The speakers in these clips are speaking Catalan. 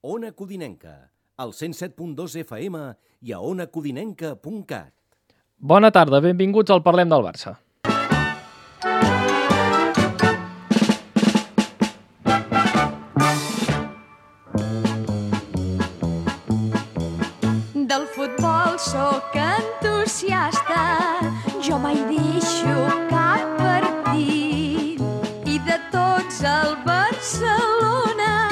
Ona Codinenca, al 107.2 FM i a onacodinenca.cat. Bona tarda, benvinguts al Parlem del Barça. Del futbol sóc entusiasta, jo mai deixo cap partit. I de tots el Barcelona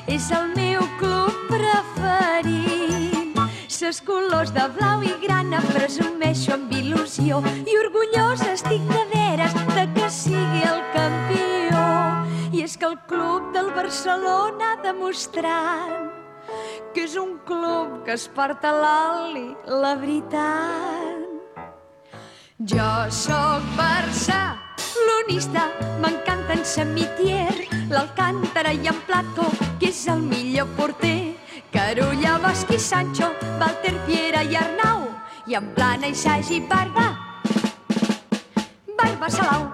és el meu club preferit. Ses colors de blau i grana presumeixo amb il·lusió i orgullosa estic de veres de que sigui el campió. I és que el club del Barcelona ha demostrat que és un club que es porta l'oli, la veritat. Jo sóc barcelonista, m'encanta en Samitier, l'Alcántara i en Plató, que és el millor porter. Carulla, Bosch i Sancho, Walter, Piera i Arnau, i en Plana i Sagi i Barba Salau.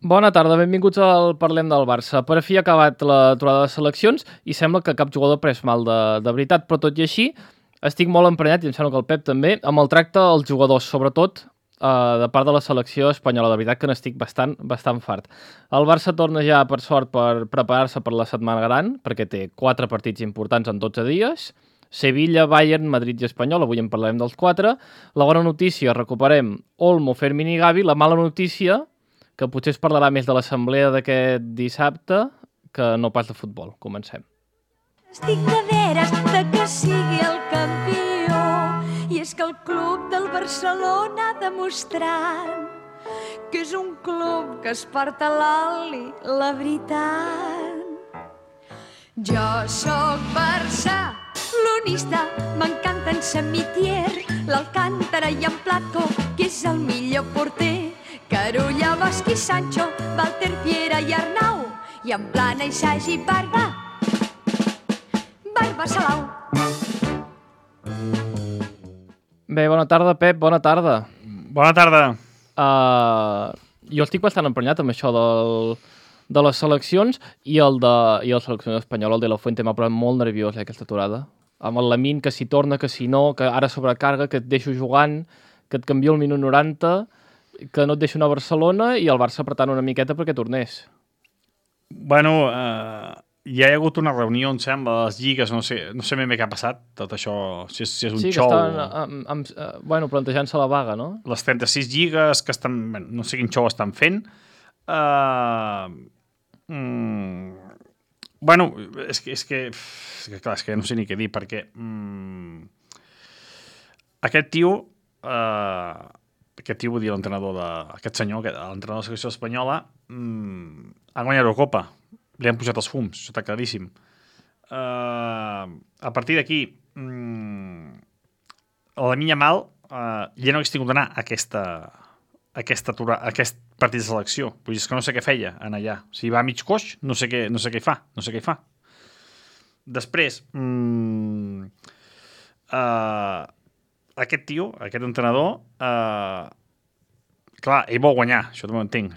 Bona tarda, benvinguts al Parlem del Barça. Per fi ha acabat l'aturada de seleccions i sembla que cap jugador ha pres mal de veritat, però tot i així estic molt emprenyat, i em sembla que el Pep també, amb el tracte als jugadors, sobretot de part de la selecció espanyola. De veritat que n'estic bastant fart. El Barça torna ja, per sort, per preparar-se per la setmana gran, perquè té 4 partits importants en 12 dies. Sevilla, Bayern, Madrid i Espanyol, avui en parlarem dels 4. La bona notícia, recuperem Olmo, Fermín i Gavi. La mala notícia, que potser es parlarà més de l'assemblea d'aquest dissabte que no pas de futbol. Comencem. Estic de veres de que sigui el campió, i és que el club del Barcelona ha demostrat que és un club que es porta l'oli, la veritat. Jo sóc barcelonista, m'encanta en Samitier, l'Alcántara i en Plató, que és el millor porter. Carulla, Bosch i Sancho, Walter, Piera i Arnau, i en Plana i Sagi i Barba Salau. Bé, bona tarda, Pep, bona tarda. Bona tarda. Jo estic bastant emprenyat amb això de les seleccions i el seleccionador espanyol, el de la Fuente, m'ha posat molt nerviós aquesta aturada. Amb el Lamine, que si torna, que si no, que ara sobrecarga, que et deixo jugant, que et canvio al minut 90, que no et deixo anar a Barcelona, i el Barça apretant una miqueta perquè tornés. Bueno, hi ha hagut una reunió, em sembla, a les lligues, no sé ben bé què ha passat, tot això, si és un sí, xou. Sí, que estan plantejant-se la vaga, no? Les 36 lligues que estan, no sé quin xou estan fent. Bueno, és que clar, és que no sé ni què dir, perquè aquest tio, vull dir l'entrenador aquest senyor, l'entrenador de la selecció espanyola, ha guanyat l'Eurocopa. Li han pujat els fums, això està claríssim. A partir d'aquí, la Lamine Yamal ja no hagués tingut d'anar a aquest partit de selecció. Vull dir, és que no sé què feia anar allà. Si va a mig coix, no sé què hi fa. Després, aquest tio, aquest entrenador, clar, ell vol guanyar, això no ho entenc.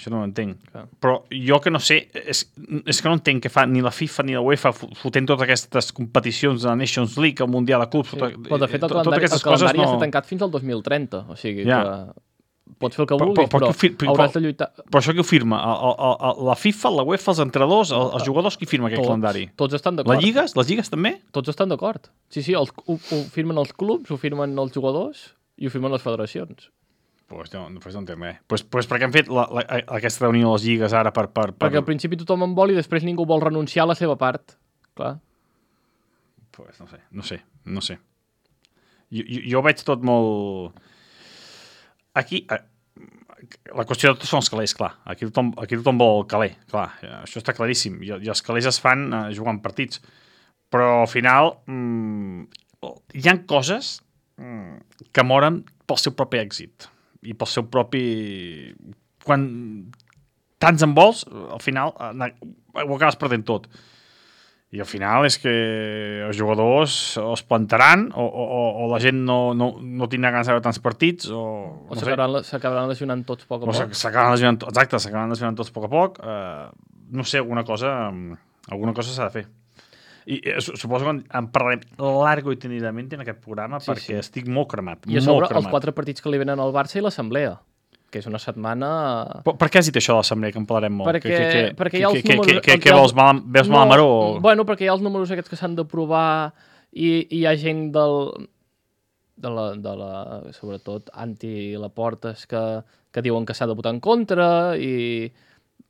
Clar. Però jo que no sé, és que no entenc què fa ni la FIFA ni la UEFA fotent totes aquestes competicions de la Nations League, el Mundial de Clubs, sí. Però de fet el calendari està tancat fins al 2030, o sigui que pots fer el que vulguis, però hauràs de lluitar. Però això qui ho firma? La FIFA, la UEFA, els entrenadors, els jugadors, qui firma aquest calendari? Tots estan d'acord. Les lligues també? Tots estan d'acord. Sí, ho firmen els clubs, ho firmen els jugadors i ho firmen les federacions. Pues no entenc res. Pues per què han fet aquesta reunió de les lligues ara per... Perquè al principi tothom en vol i després ningú vol renunciar a la seva part. Clar. Pues no sé. Jo veig tot molt... Aquí, la qüestió de tot són els calés, clar. Aquí tothom vol el caler, clar. Això està claríssim. I els calés es fan jugant partits. Però al final hi ha coses que moren pel seu propi èxit i pel seu propi... Quan tants en vols, al final ho acabes perdent tot. I al final és que els jugadors o es plantaran o la gent no tindrà ganes de veure tants partits o s'acabaran lesionant tots poc a poc. S'acabaran lesionant tots a poc. No sé, alguna cosa s'ha de fer. I suposo que en parlarem largo i tenidament en aquest programa perquè estic molt cremat. I a sobre els 4 partits que li venen al Barça i l'Assemblea, que és una setmana... Per què has dit això de l'Assemblea, que en parlarem molt? Perquè hi ha els números... Què veus mal a Maró? Bueno, perquè hi ha els números aquests que s'han d'aprovar i hi ha gent de la sobretot anti-Laportes que diuen que s'ha de votar en contra i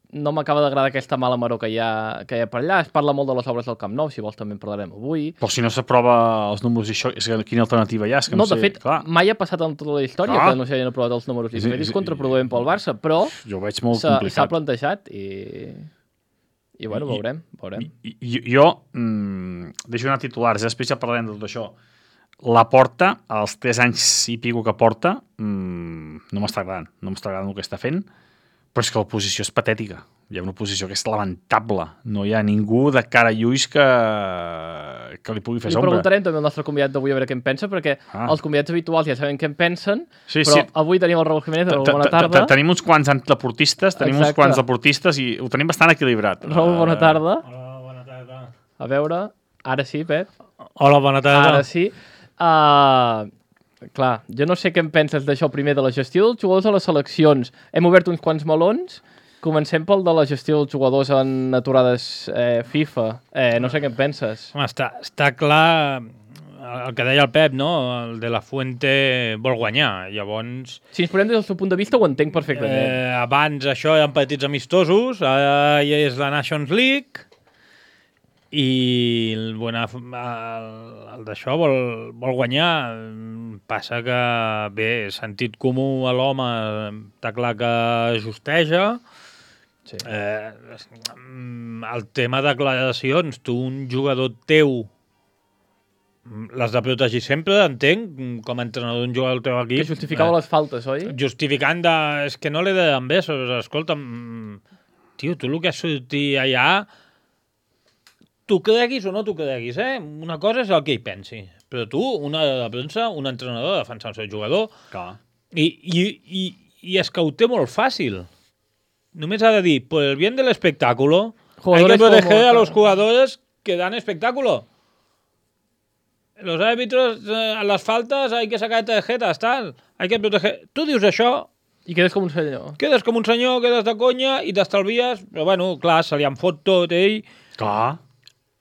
no m'acaba d'agradar aquesta mala maror que hi ha per allà. Es parla molt de les obres del Camp Nou, si vols també en parlarem avui. Però si no s'aprova els números i això, quina alternativa hi ha? És que no, de fet, mai ha passat en tota la història que no s'hagin aprovat els números i és contraproduent pel Barça, però jo ho veig molt complicat. S'ha plantejat i bueno, veurem. Jo deixo anar titulars, després ja parlarem de tot això. La Porta, als 3 anys i pico que porta, no m'està agradant el que està fent, però és que l'oposició és patètica. Hi ha una oposició que és lamentable. No hi ha ningú de cara i ulls que li pugui fer sombra. Li preguntarem també al nostre convidat d'avui a veure què en pensa, perquè els convidats habituals ja saben què en pensen, però avui tenim el Raúl Jiménez. Raúl, bona tarda. Tenim uns quants antlaportistes, i ho tenim bastant equilibrat. Raúl, bona tarda. Hola, bona tarda. A veure, ara sí, Pep. Hola, bona tarda. Ara sí. Clar, jo no sé què en penses d'això primer de la gestió dels jugadors a les seleccions. Hem obert uns quants melons. Comencem pel de la gestió dels jugadors en aturades FIFA. No sé què en penses. Home, està clar el que deia el Pep, no? El de la Fuente vol guanyar. Llavors... Si ens posem des del seu punt de vista ho entenc perfectament. Abans això eren petits amistosos, ara ja és la Nations League i el d'això vol guanyar. Passa que, bé, sentit comú a l'home està clar que justeja. Sí. El tema de declaracions, tu, un jugador teu, l'has de protegir sempre, entenc, com a entrenador d'un jugador del teu equip. Que justificava les faltes, oi? Justificant és que no li deien bé, escolta'm, tio, tu el que has sortit allà, tu creguis o no tu creguis, una cosa és el que hi pensi, però tu, una de premsa, un entrenador defensar el seu jugador, i és que ho té molt fàcil. Només ha de dir, por el bien del espectáculo, hay que proteger a los jugadores que dan espectáculo. Los árbitros, a las faltas hay que sacar tarjetas, tal. Hay que proteger. Tu dius això... I quedes com un senyor. Quedes com un senyor, quedes de conya i t'estalvies... Però bueno, clar, se li en fot tot, ell... Clar.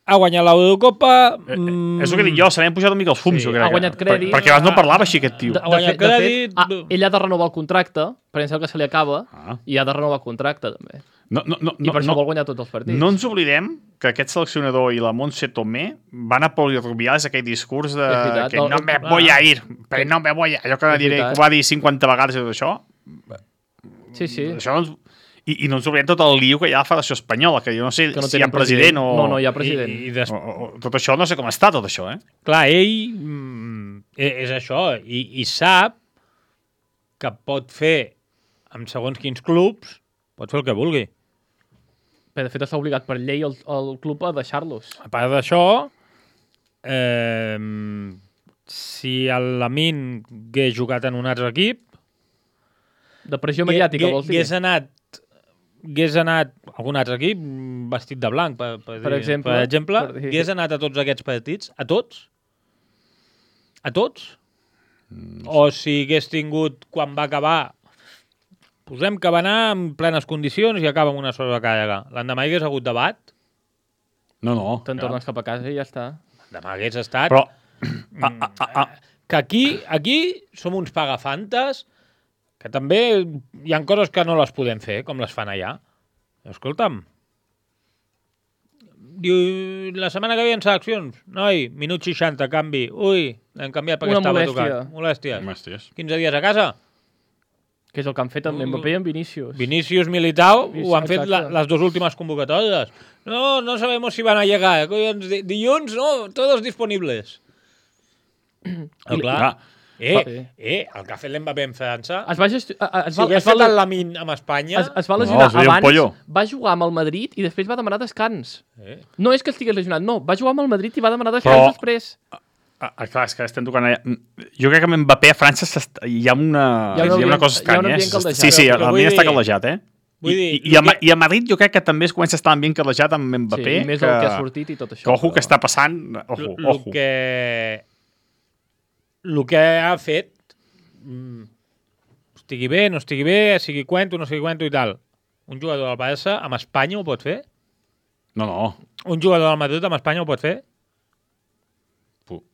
Ha guanyat l'Eurocopa... És el que dic jo, se li han pujat una mica els fums, jo crec. Ha guanyat crèdit. Perquè abans no parlava així, aquest tio. Ha guanyat crèdit... Ell ha de renovar el contracte, perquè em sembla que se li acaba, i ha de renovar el contracte, també. I per això vol guanyar tots els partits. No ens oblidem que aquest seleccionador i la Montse Tomé van a Polirubiales aquell discurs de que no me voy a ir, però no me voy a... Allò que va dir 50 vegades i tot això. Sí. Això I no ens oblidem tot el lío que hi ha a la Federació Espanyola, que jo no sé si hi ha president o... No, hi ha president. Tot això, no sé com està tot això, Clar, ell és això, i sap que pot fer, amb segons quins clubs, pot fer el que vulgui. Bé, de fet, està obligat per llei el club a deixar-los. A part d'això, si l'Amin hagués jugat en un altre equip... De pressió mediàtica, vols dir? Hagués anat a algun altre equip vestit de blanc, per exemple, hagués anat a tots aquests partits, a tots? A tots? O si hagués tingut, quan va acabar, posem que va anar en plenes condicions i acaba amb una sobrecàrrega. L'endemà hagués hagut debat? No. Te'n tornes cap a casa i ja està. L'endemà hagués estat... Però... Que aquí som uns pagafantes que també hi ha coses que no les podem fer, com les fan allà. Escolta'm, diu, la setmana que ve en seleccions, noi, minut 60, canvi, ui, l'hem canviat perquè estava tocat. Molèsties. 15 dies a casa. Que és el que han fet amb Mbappé i amb Vinícius. Vinícius, Militao, ho han fet les dues últimes convocatòries. No sabemos si van a llegar. Dilluns, no, todos disponibles. Clar. El que ha fet l'Mbappé en França... Si hagués fet el Lamine amb Espanya... Es va lesionar abans, va jugar amb el Madrid i després va demanar descans. No és que estigués lesionat, no. Va jugar amb el Madrid i va demanar descans després. Clar, és que estem tocant allà. Jo crec que amb Mbappé a França hi ha una cosa estranya. Sí, el ambient està caldejat, I a Madrid jo crec que també es comença a estar ambient caldejat amb Mbappé. Sí, més el que ha sortit i tot això. Ojo que està passant. Ojo. El que ha fet, estigui bé, no estigui bé, sigui cuento, no sigui cuento i tal. Un jugador del Barça amb Espanya ho pot fer? No. Un jugador del Madrid amb Espanya ho pot fer?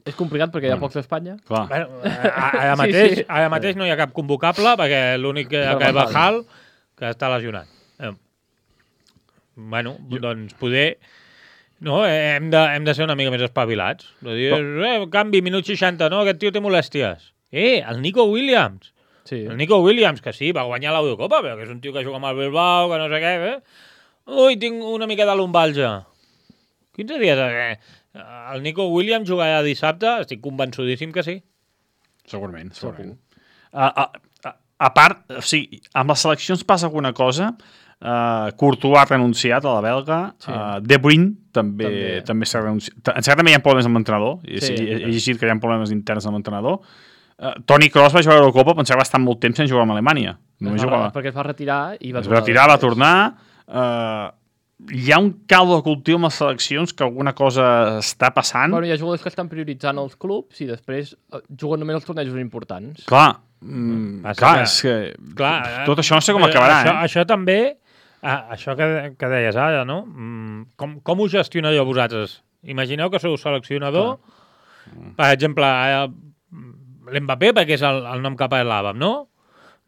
És complicat perquè hi ha pocs a Espanya. Clar. Ara mateix no hi ha cap convocable perquè l'únic que és Bajal, que està lesionat. Doncs poder... No, hem de ser una mica més espavilats. Canvi, minut 60, no, aquest tio té molèsties. El Nico Williams. Sí. El Nico Williams, que sí, va guanyar l'Eurocopa, però que és un tio que juga amb el Bilbao, que no sé què, Ui, tinc una mica de lumbalgia. 15 dies, El Nico Williams jugarà dissabte, estic convençudíssim que sí. Segurament. A part, o sigui, amb les seleccions passa alguna cosa... Courtois ha renunciat a la belga, De Bruyne també s'ha renunciat. En certa també hi ha problemes amb l'entrenador, he llegit que hi ha problemes interns amb l'entrenador. Toni Kroos va jugar a l'Eurocopa, pensava que va estar molt temps sense jugar amb Alemanya. Perquè es va retirar i va tornar. Hi ha un caldo de cultiu amb les seleccions que alguna cosa està passant. Hi ha jugadors que estan prioritzant els clubs i després juguen només els tornejos importants. Clar, és que tot això no sé com acabarà. Això també... això que deies ara, no? Com ho gestionaríeu vosaltres? Imagineu que sou seleccionador, per exemple, l'Mbappé, perquè és el nom que parlàvem, no?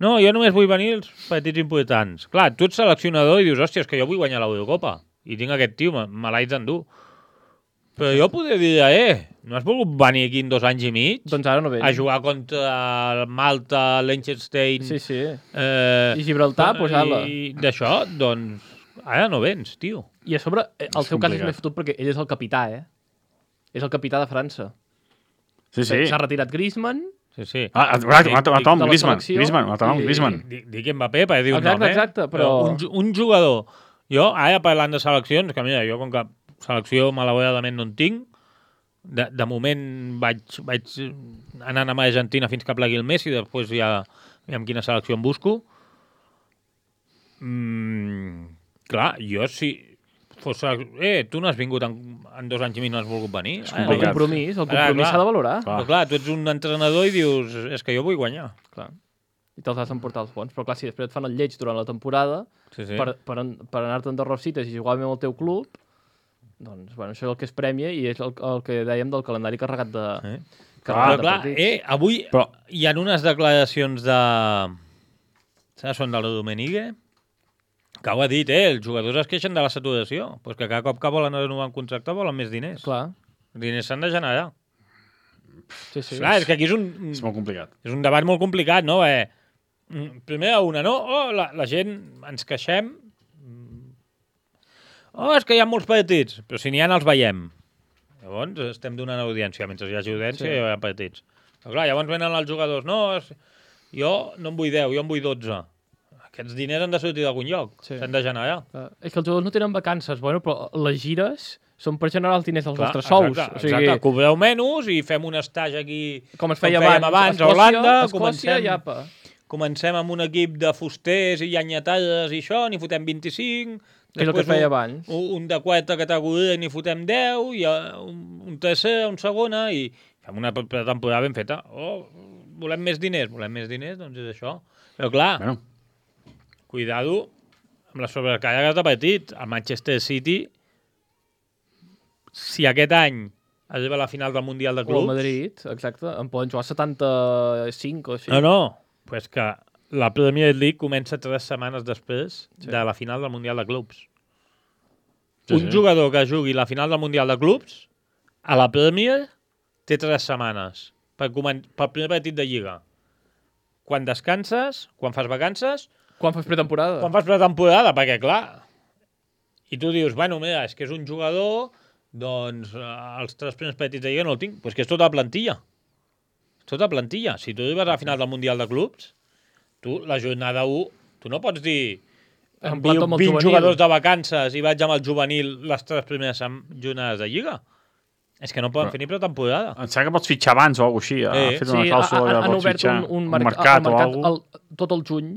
No, jo només vull venir els partits importants. Clar, tu ets seleccionador i dius, hòstia, és que jo vull guanyar l'Eurocopa i tinc aquest tio, me l'haig d'endur. Però jo podria dir, no has volgut venir aquí en 2 anys i mig? Doncs ara no vens. A jugar contra el Malta, Liechtenstein... Sí. I Gibraltar, posar-la. I d'això, doncs, ara no vens, tio. I a sobre, el seu cas és més fotut perquè ell és el capità, És el capità de França. Sí. S'ha retirat Griezmann. Sí. Griezmann. Dic Mbappé per dir un nom, Exacte, però... Un jugador... Jo, ara parlant de seleccions, que mira, jo com que selecció malauradament no en tinc, de moment vaig anant amb Argentina fins que plegui el Messi, després ja amb quina selecció em busco. Clar, jo si fos... tu no has vingut en 2 anys i mig, no has volgut venir. El compromís s'ha de valorar. Però clar, tu ets un entrenador i dius, és que jo vull guanyar. Clar. I te'ls has d'emportar els fons. Però clar, si després et fan el lleig durant la temporada, per anar-te'n de rosites i jugar amb el teu club, doncs, això és el que es premia i és el que dèiem del calendari carregat de... Avui hi ha unes declaracions de... Són del Domenigue, que ho ha dit, els jugadors es queixen de la saturació, doncs que cada cop que volen renovar un contracte volen més diners. Clar. Els diners s'han de generar. Sí. Clar, és que aquí és molt complicat. És un debat molt complicat, no? Primer no? La gent ens queixem. És que hi ha molts partits, però si n'hi ha els veiem. Llavors estem donant audiència. Mentre hi hagi audiència hi ha partits. Però clar, llavors venen els jugadors. No, jo no en vull 10, jo en vull 12. Aquests diners han de sortir d'algun lloc. S'han de generar. És que els jugadors no tenen vacances, però les gires són per generar els diners dels vostres sous. Exacte. Cobreu menys i fem un estatge aquí com es feia abans a Holanda. Escòcia i apa. Comencem amb un equip de fusters i llenyatades i això, n'hi fotem 25. És el que feia abans. Un de 4 categoria n'hi fotem 10, i un tercer, un segona, i fem una temporada ben feta. Volem més diners, doncs és això. Però clar, cuidado amb la sobrecàrrega de partit. El Manchester City, si aquest any arriba a la final del Mundial de Clubs... O el Madrid, exacte, en poden jugar 75 o així. No, pues que la Premier League comença 3 setmanes després de la final del Mundial de Clubs. Un jugador que jugui la final del Mundial de Clubs a la Premier té 3 setmanes per primer partit de Lliga. Quan descanses, quan fas vacances... Quan fas pretemporada. Quan fas pretemporada, perquè clar... I tu dius, mira, és que és un jugador, doncs els 3 primers partits de Lliga no el tinc. Doncs que és tota la plantilla. Tota plantilla. Si tu arribes a la final del Mundial de Clubs, tu, la jornada 1, tu no pots dir... Emplato amb el 20 juvenil. jugadors de vacances i vaig amb el juvenil les 3 primeres jornades de Lliga. És que no poden fer ni pretemporada. Em sembla que pots fitxar abans o alguna cosa així. Ha fet una clàusula que pots fitxar un mercat o alguna cosa. Tot el juny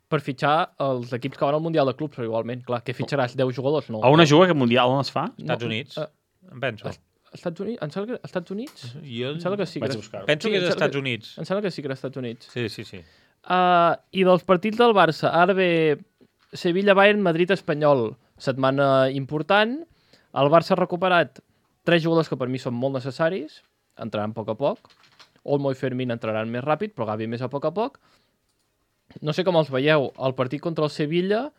per fitxar els equips que van al Mundial de Clubs, però igualment. Clar, que fitxaràs 10 jugadors? No. A on es juga aquest Mundial? On es fa? Estats Units, em penso. Estats Units? Em sembla que Estats Units? Jo em sembla que sí. Penso que és Estats Units. Em sembla que sí que era Estats Units. Sí. I dels partits del Barça, ara ve Sevilla-Bayern, Madrid-Espanyol, setmana important. El Barça ha recuperat 3 jugadors que per mi són molt necessaris, entraran a poc. Olmo i Fermín entraran més ràpid, però Gavi més a poc. No sé com els veieu. El partit contra el Sevilla,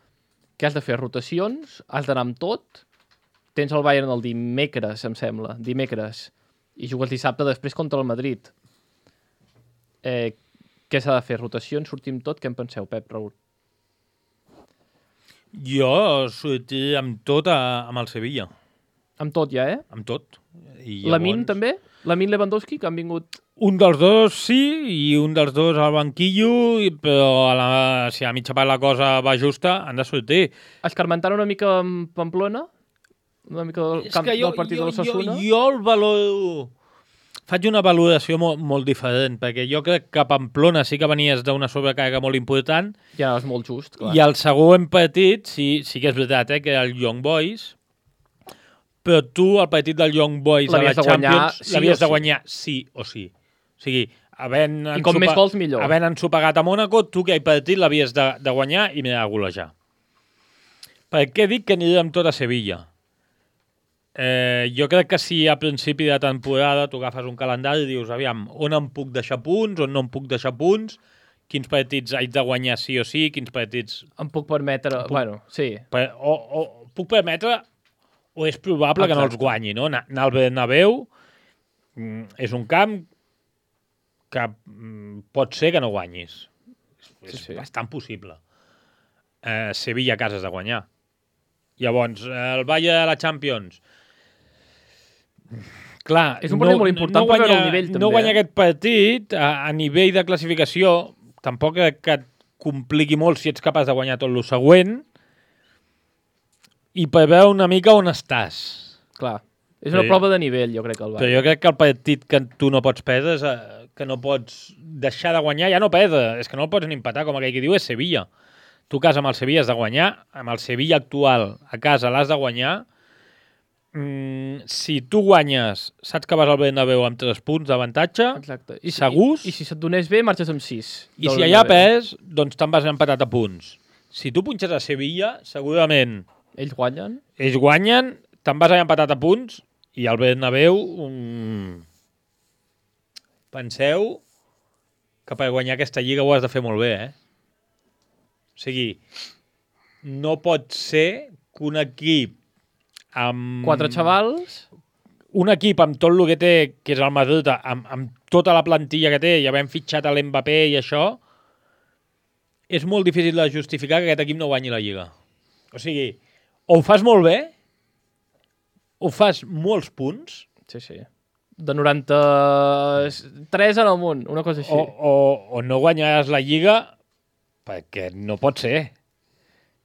que has de fer rotacions, has d'anar amb tot. Tens el Bayern el dimecres, em sembla, i jugues dissabte després contra el Madrid. Què s'ha de fer? Rotacions, sortim tot? Què en penseu, Pep, Raül? Jo sortiré amb tot amb el Sevilla. Amb tot ja, Amb tot. Lamin també? Lamin Lewandowski, que han vingut... Un dels dos sí, i un dels dos al banquillo, però si a mitja part la cosa va justa, han de sortir. Escarmentant una mica amb Pamplona? Una mica del camp del partit de l'Osasuna? Jo el valoro... Faig una valoració molt diferent, perquè jo crec que a Pamplona sí que venies d'una sobrecàrrega molt important. Ja, és molt just, clar. I el següent partit, sí que és veritat, que era el Young Boys, però tu, el partit del Young Boys a la Champions, l'havies de guanyar sí o sí. O sigui, i com més gols, millor. Havent ensopegat a Mònaco, tu aquell partit l'havies de guanyar i m'he de golejar. Per què dic que aniré amb tot a Sevilla? Jo crec que si a principi de temporada tu agafes un calendari i dius, aviam, on em puc deixar punts, on no em puc deixar punts, quins partits haig de guanyar sí o sí, quins partits... Em puc permetre... Bueno, sí. O puc permetre, o és probable que no els guanyi, no? Anar al Bernabéu és un camp que pot ser que no guanyis. És bastant possible. Sevilla a casa has de guanyar. Llavors, el Bayern de la Champions... Clar, és un partit molt important per veure el nivell, també. No guanyar aquest partit a nivell de classificació tampoc que et compliqui molt si ets capaç de guanyar tot el següent i per veure una mica on estàs. Clar, és una prova de nivell, jo crec que el Bayern. Però jo crec que el partit que tu no pots perdre és que no pots deixar de guanyar, ja no perdre, és que no el pots ni empatar, com aquell que diu, és Sevilla. Tu a casa amb el Sevilla has de guanyar, amb el Sevilla actual a casa l'has de guanyar. Si tu guanyes, saps que vas al Bernabéu amb 3 punts d'avantatge, segurs. I si se't donés bé, marxes amb 6. I si allà pes, doncs te'n vas empatat a punts. Si tu punxes a Sevilla, segurament... Ells guanyen. Ells guanyen, te'n vas allà empatat a punts, i al Bernabéu... Penseu que per guanyar aquesta lliga ho has de fer molt bé, O sigui, no pot ser que un equip amb... 4 xavals? Un equip amb tot el que té, que és el Madrid, amb tota la plantilla que té, i havent fitxat a l'Mbappé i això, és molt difícil de justificar que aquest equip no guanyi la Lliga. O sigui, o ho fas molt bé, o fas molts punts... Sí. De 93 en amunt, una cosa així. O no guanyaràs la Lliga perquè no pot ser.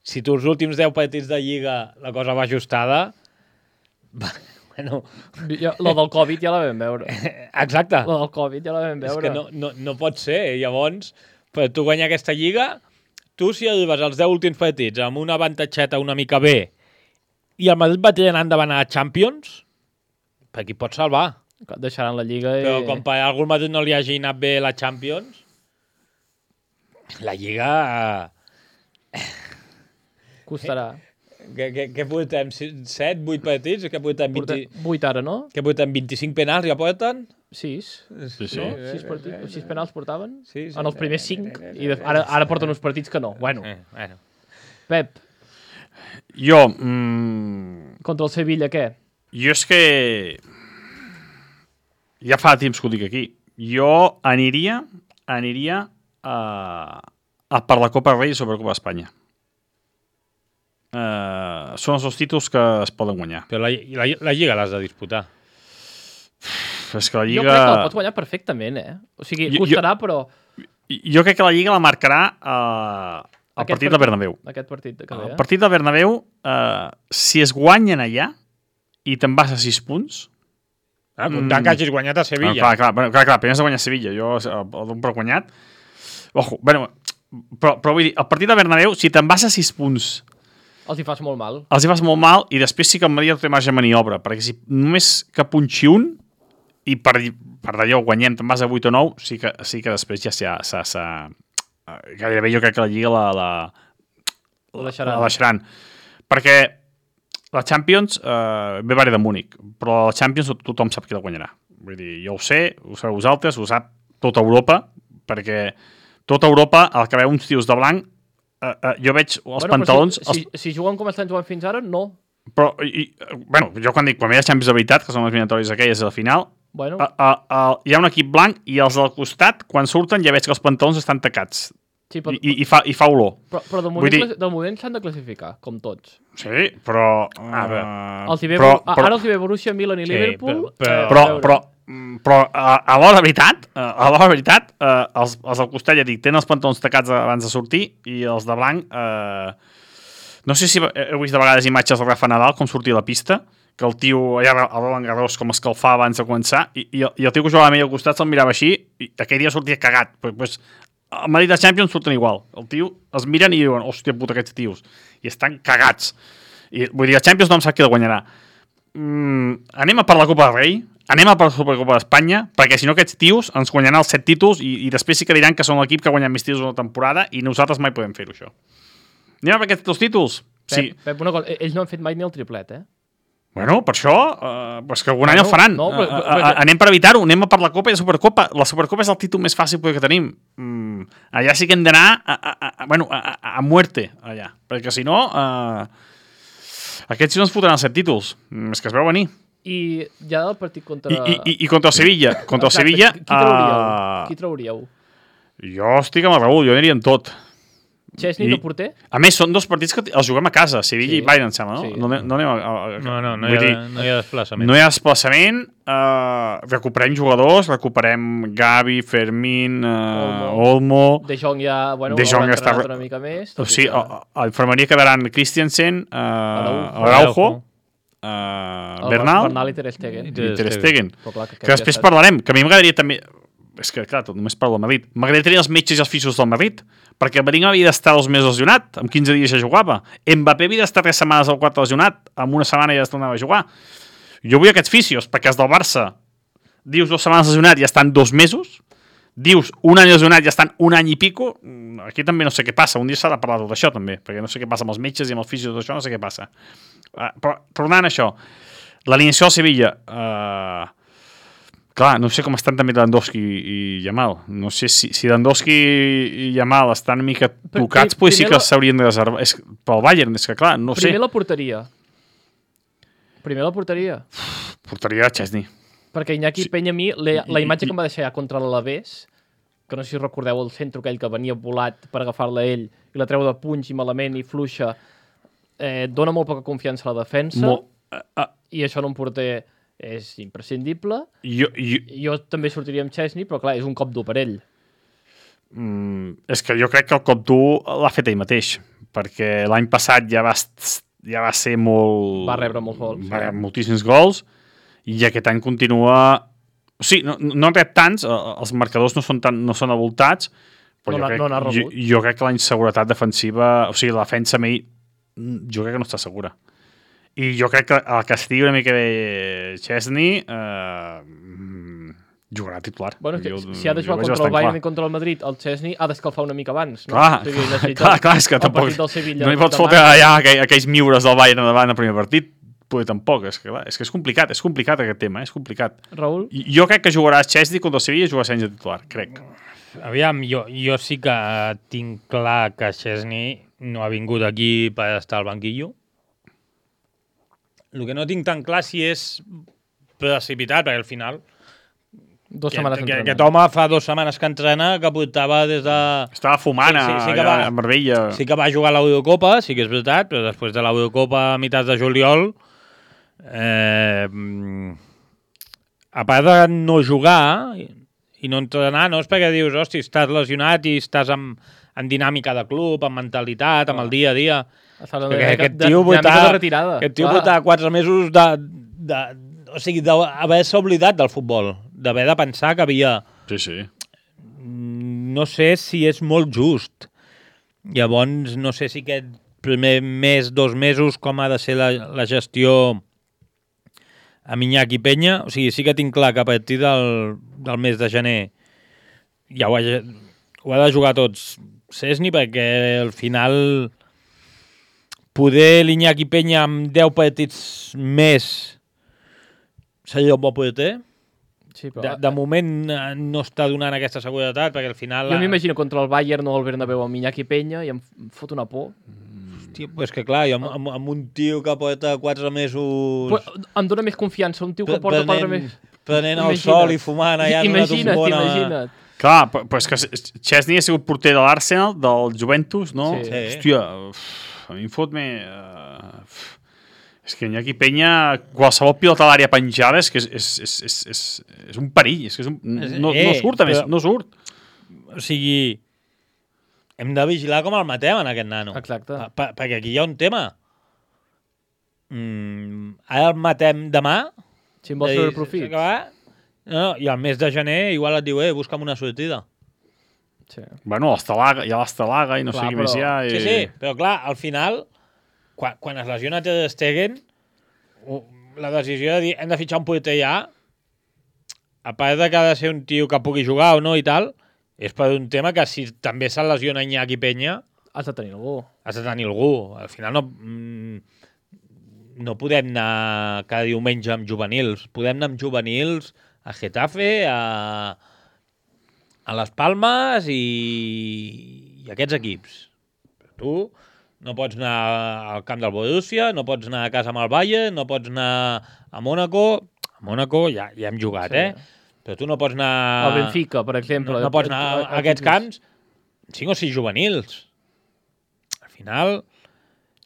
Si tu els últims 10 partits de Lliga la cosa va ajustada... Bueno... Lo del Covid ja la vam veure. Exacte. Lo del Covid ja la vam veure. És que no pot ser. Llavors, per tu guanyar aquesta Lliga, tu si arribes als 10 últims partits amb una avantatgeta una mica bé i el Madrid va tirant endavant a Champions, per aquí pots salvar. Deixaran la Lliga i... Però com per algun Madrid no li hagi anat bé la Champions, la Lliga... Costarà. Què portem? 7, 8 partits? Què portem? 8 ara, no? Què portem? 25 penals ja porten? 6. Sí. No? 6 penals portaven? Sí. En els primers 5. I ara porten uns partits que no. Bueno. Pep. Jo... Contra el Sevilla, què? Jo és que... Ja fa temps que ho dic aquí. Jo aniria per la Copa Rei sobre la Copa Espanya. Són els dos títols que es poden guanyar. Però la Lliga l'has de disputar. És que la Lliga... Jo crec que la pot guanyar perfectament, O sigui, costarà, però... Jo crec que la Lliga la marcarà el partit del Bernabéu. Aquest partit que ve, El partit del Bernabéu, si es guanyen allà i te'n vas a 6 punts... Comptant que hagis guanyat a Sevilla. Clar, primer has de guanyar a Sevilla. Jo el dono per guanyat. Ojo, bueno, però vull dir, el partit del Bernabéu, si te'n vas a 6 punts... Els hi fas molt mal. Els hi fas molt mal i després sí que el Madrid té marge de maniobra, perquè si només que punxi un i per d'allò guanyem, te'n vas a 8 o 9, sí que després ja gairebé jo crec que la Lliga la deixaran. Perquè la Champions ve varia de Múnich, però la Champions tothom sap qui la guanyarà. Vull dir, jo ho sé, ho sabeu vosaltres, ho sap tota Europa, perquè tota Europa, el que veu uns tios de blanc, jo veig els pantalons... Si juguen com estan jugant fins ara, no. Però, jo quan ve de Champions de veritat, que són les eliminatòries aquelles de la final, hi ha un equip blanc i els del costat, quan surten, ja veig que els pantalons estan tacats. Sí, I fa olor. Però de moment s'han de classificar, com tots. Sí, però... Ara els hi ve Borussia, Milan i Liverpool... Però a l'hora veritat, els del costat, ja dic, tenen els pantalons tacats abans de sortir i els de blanc... no sé si heu vist de vegades imatges del Rafa Nadal, com sortia a la pista, que el tio allà a Roland Garros com escalfar abans de començar, i el tio que jugava a mi al costat se'l mirava així, i aquell dia sortia cagat. Pues, al Madrid de Champions surten igual. El tio els miren i diuen, hòstia puta, aquests tios. I estan cagats. I, vull dir, el Champions no em sap qui el guanyarà. Anem a per la Copa del Rei, anem a per la Supercopa d'Espanya, perquè si no aquests tios ens guanyaran els 7 títols i després sí que diran que són l'equip que ha guanyat més títols una temporada i nosaltres mai podem fer-ho, això. Anem a per aquests 2 títols? Pep, una cosa, ells no han fet mai ni el triplet, Bueno, per això, pues que algun any el faran. Anem per evitar-ho, anem a per la Copa i la Supercopa. La Supercopa és el títol més fàcil que tenim. Allà sí que hem d'anar a muerte, allà. Perquè si no, aquests sí no ens fotran els 7 títols. És que es veu venir. I ja del partit contra... I contra el Sevilla. Contra el Sevilla... Qui trauríeu? Jo estic amb el Raül, jo aniria amb tot. Chesney de porter? A més, són 2 partits que els juguem a casa, Sevilla i Bayern, em sembla, no? Sí. No hi ha desplaçament. No hi ha desplaçament, recuperem jugadors, recuperem Gavi, Fermín, Olmo... De Jong ja, està una mica més. O sigui, a l'infermeria quedaran Christensen, Araujo, Bernal i Ter Stegen. Que després parlarem, que a mi m'agradaria també... És que, clar, tot només parlo del Madrid. M'agradaria tenir els metges i els fisios del Madrid, perquè Bellingham havia d'estar 2 mesos lesionat, amb 15 dies ja jugava. Mbappé havia d'estar 3 setmanes al 4 lesionat, amb una setmana ja es tornava a jugar. Jo vull aquests fisios, perquè els del Barça, dius 2 setmanes lesionat i ja estan 2 mesos, dius un any lesionat i ja estan un any i pico, aquí també no sé què passa. Un dia s'ha de parlar tot això, també, perquè no sé què passa amb els metges i amb els fisios, tot això, no sé què passa. Però, tornant a això, l'alineació del Sevilla... Clar, no sé com estan també Lewandowski i Yamal. No sé si Lewandowski i Yamal estan una mica tocats, pues sí que s'haurien de reservar. Pel Bayern, és que clar, no sé. Primer la porteria. Porteria Chesney. Perquè Iñaki Peña, a mi, la imatge que em va deixar ja contra l'Alavés, que no sé si recordeu el centre aquell que venia volat per agafar-la ell i la treu de punx i malament i fluixa, dona molt poca confiança a la defensa i això en un porter... és imprescindible. Jo també sortiria amb Chesney, però clar, és un cop dur per ell. És que jo crec que el cop dur l'ha fet ell mateix, perquè l'any passat ja va ser molt... Va rebre molts gols. Va rebre moltíssims gols, i aquest any continua... O sigui, no han rep tants, els marcadors no són avoltats, però jo crec que la inseguretat defensiva... O sigui, la defensa a mi, jo crec que no està segura. I jo crec que el que estigui una mica bé Chesney jugarà titular. Bueno, si ha de jugar contra el Bayern i contra el Madrid, el Chesney ha d'escalfar una mica abans. No? Clar, és que tampoc no hi pots fotre allà aquells miures del Bayern davant al primer partit. Potser tampoc, és que és complicat aquest tema, és complicat. Raül? Jo crec que jugarà Chesney contra el Sevilla i jugarà Sánchez titular, crec. Aviam, jo sí que tinc clar que Chesney no ha vingut aquí per estar al banquillo. El que no tinc tan clar si és precipitat, perquè al final... 2 setmanes entrenant. Aquest home fa 2 setmanes que entrena, que portava des de... Estava fumant a Marbella. Sí que va jugar a l'Eurocopa, sí que és veritat, però després de l'Eurocopa a meitats de juliol a part de no jugar i no entrenar, no és perquè dius, hosti, estàs lesionat i estàs en dinàmica de club, en mentalitat, amb el dia a dia. Aquest tio portar 4 mesos o sigui, d'haver-se oblidat del futbol, d'haver de pensar que havia... Sí. No sé si és molt just. Llavors, no sé si aquest primer mes, 2 mesos, com ha de ser la gestió amb Iñaki Peña. O sigui, sí que tinc clar que a partir del mes de gener ja ho ha de jugar tots Szczesny, perquè al final poder l'Iñaki Peña amb 10 partits més seria un bon porter. Sí, però... de moment no està donant aquesta seguretat, perquè al final... Jo m'imagino contra el Bayern o el Bernabéu amb Iñaki Peña i em fot una por. Hòstia, pues que clar, amb un tio que porta 4 mesos... Em dóna més confiança, un tio que porta 4 mesos... Prenent el sol i fumant allà en una tombona... Imagina't. Clar, però és que Szczesny ha sigut porter de l'Arsenal, del Juventus, no? Sí. Hòstia, a mi em fot més... És que Iñaki Peña, qualsevol pilota a l'àrea penjada és que és un perill, és que no surt, a més, no surt. O sigui, hem de vigilar com el matem en aquest nano. Exacte. Perquè aquí hi ha un tema. Ara el matem demà. Si em vols treure profit. No, i al mes de gener igual et diu, busca'm una sortida. Sí. Bueno, hi ha l'Estalaga i no sé què més hi ha. Sí, però clar, al final... Quan es lesiona Ter Stegen, la decisió de dir hem de fitxar un porter ja, a part de que ha de ser un tio que pugui jugar o no i tal, és per un tema que si també se lesiona Iñaki Peña... Has de tenir algú. Al final no podem anar cada diumenge amb juvenils. Podem anar amb juvenils a Getafe, a Las Palmas i aquests equips. Però tu... No pots anar al camp del Borussia, no pots anar a casa amb el Bayern, no pots anar a Mónaco. A Mónaco ja hem jugat, sí. Però tu no pots anar... Al Benfica, per exemple. No pots anar a aquests camps 5 o 6 juvenils. Al final...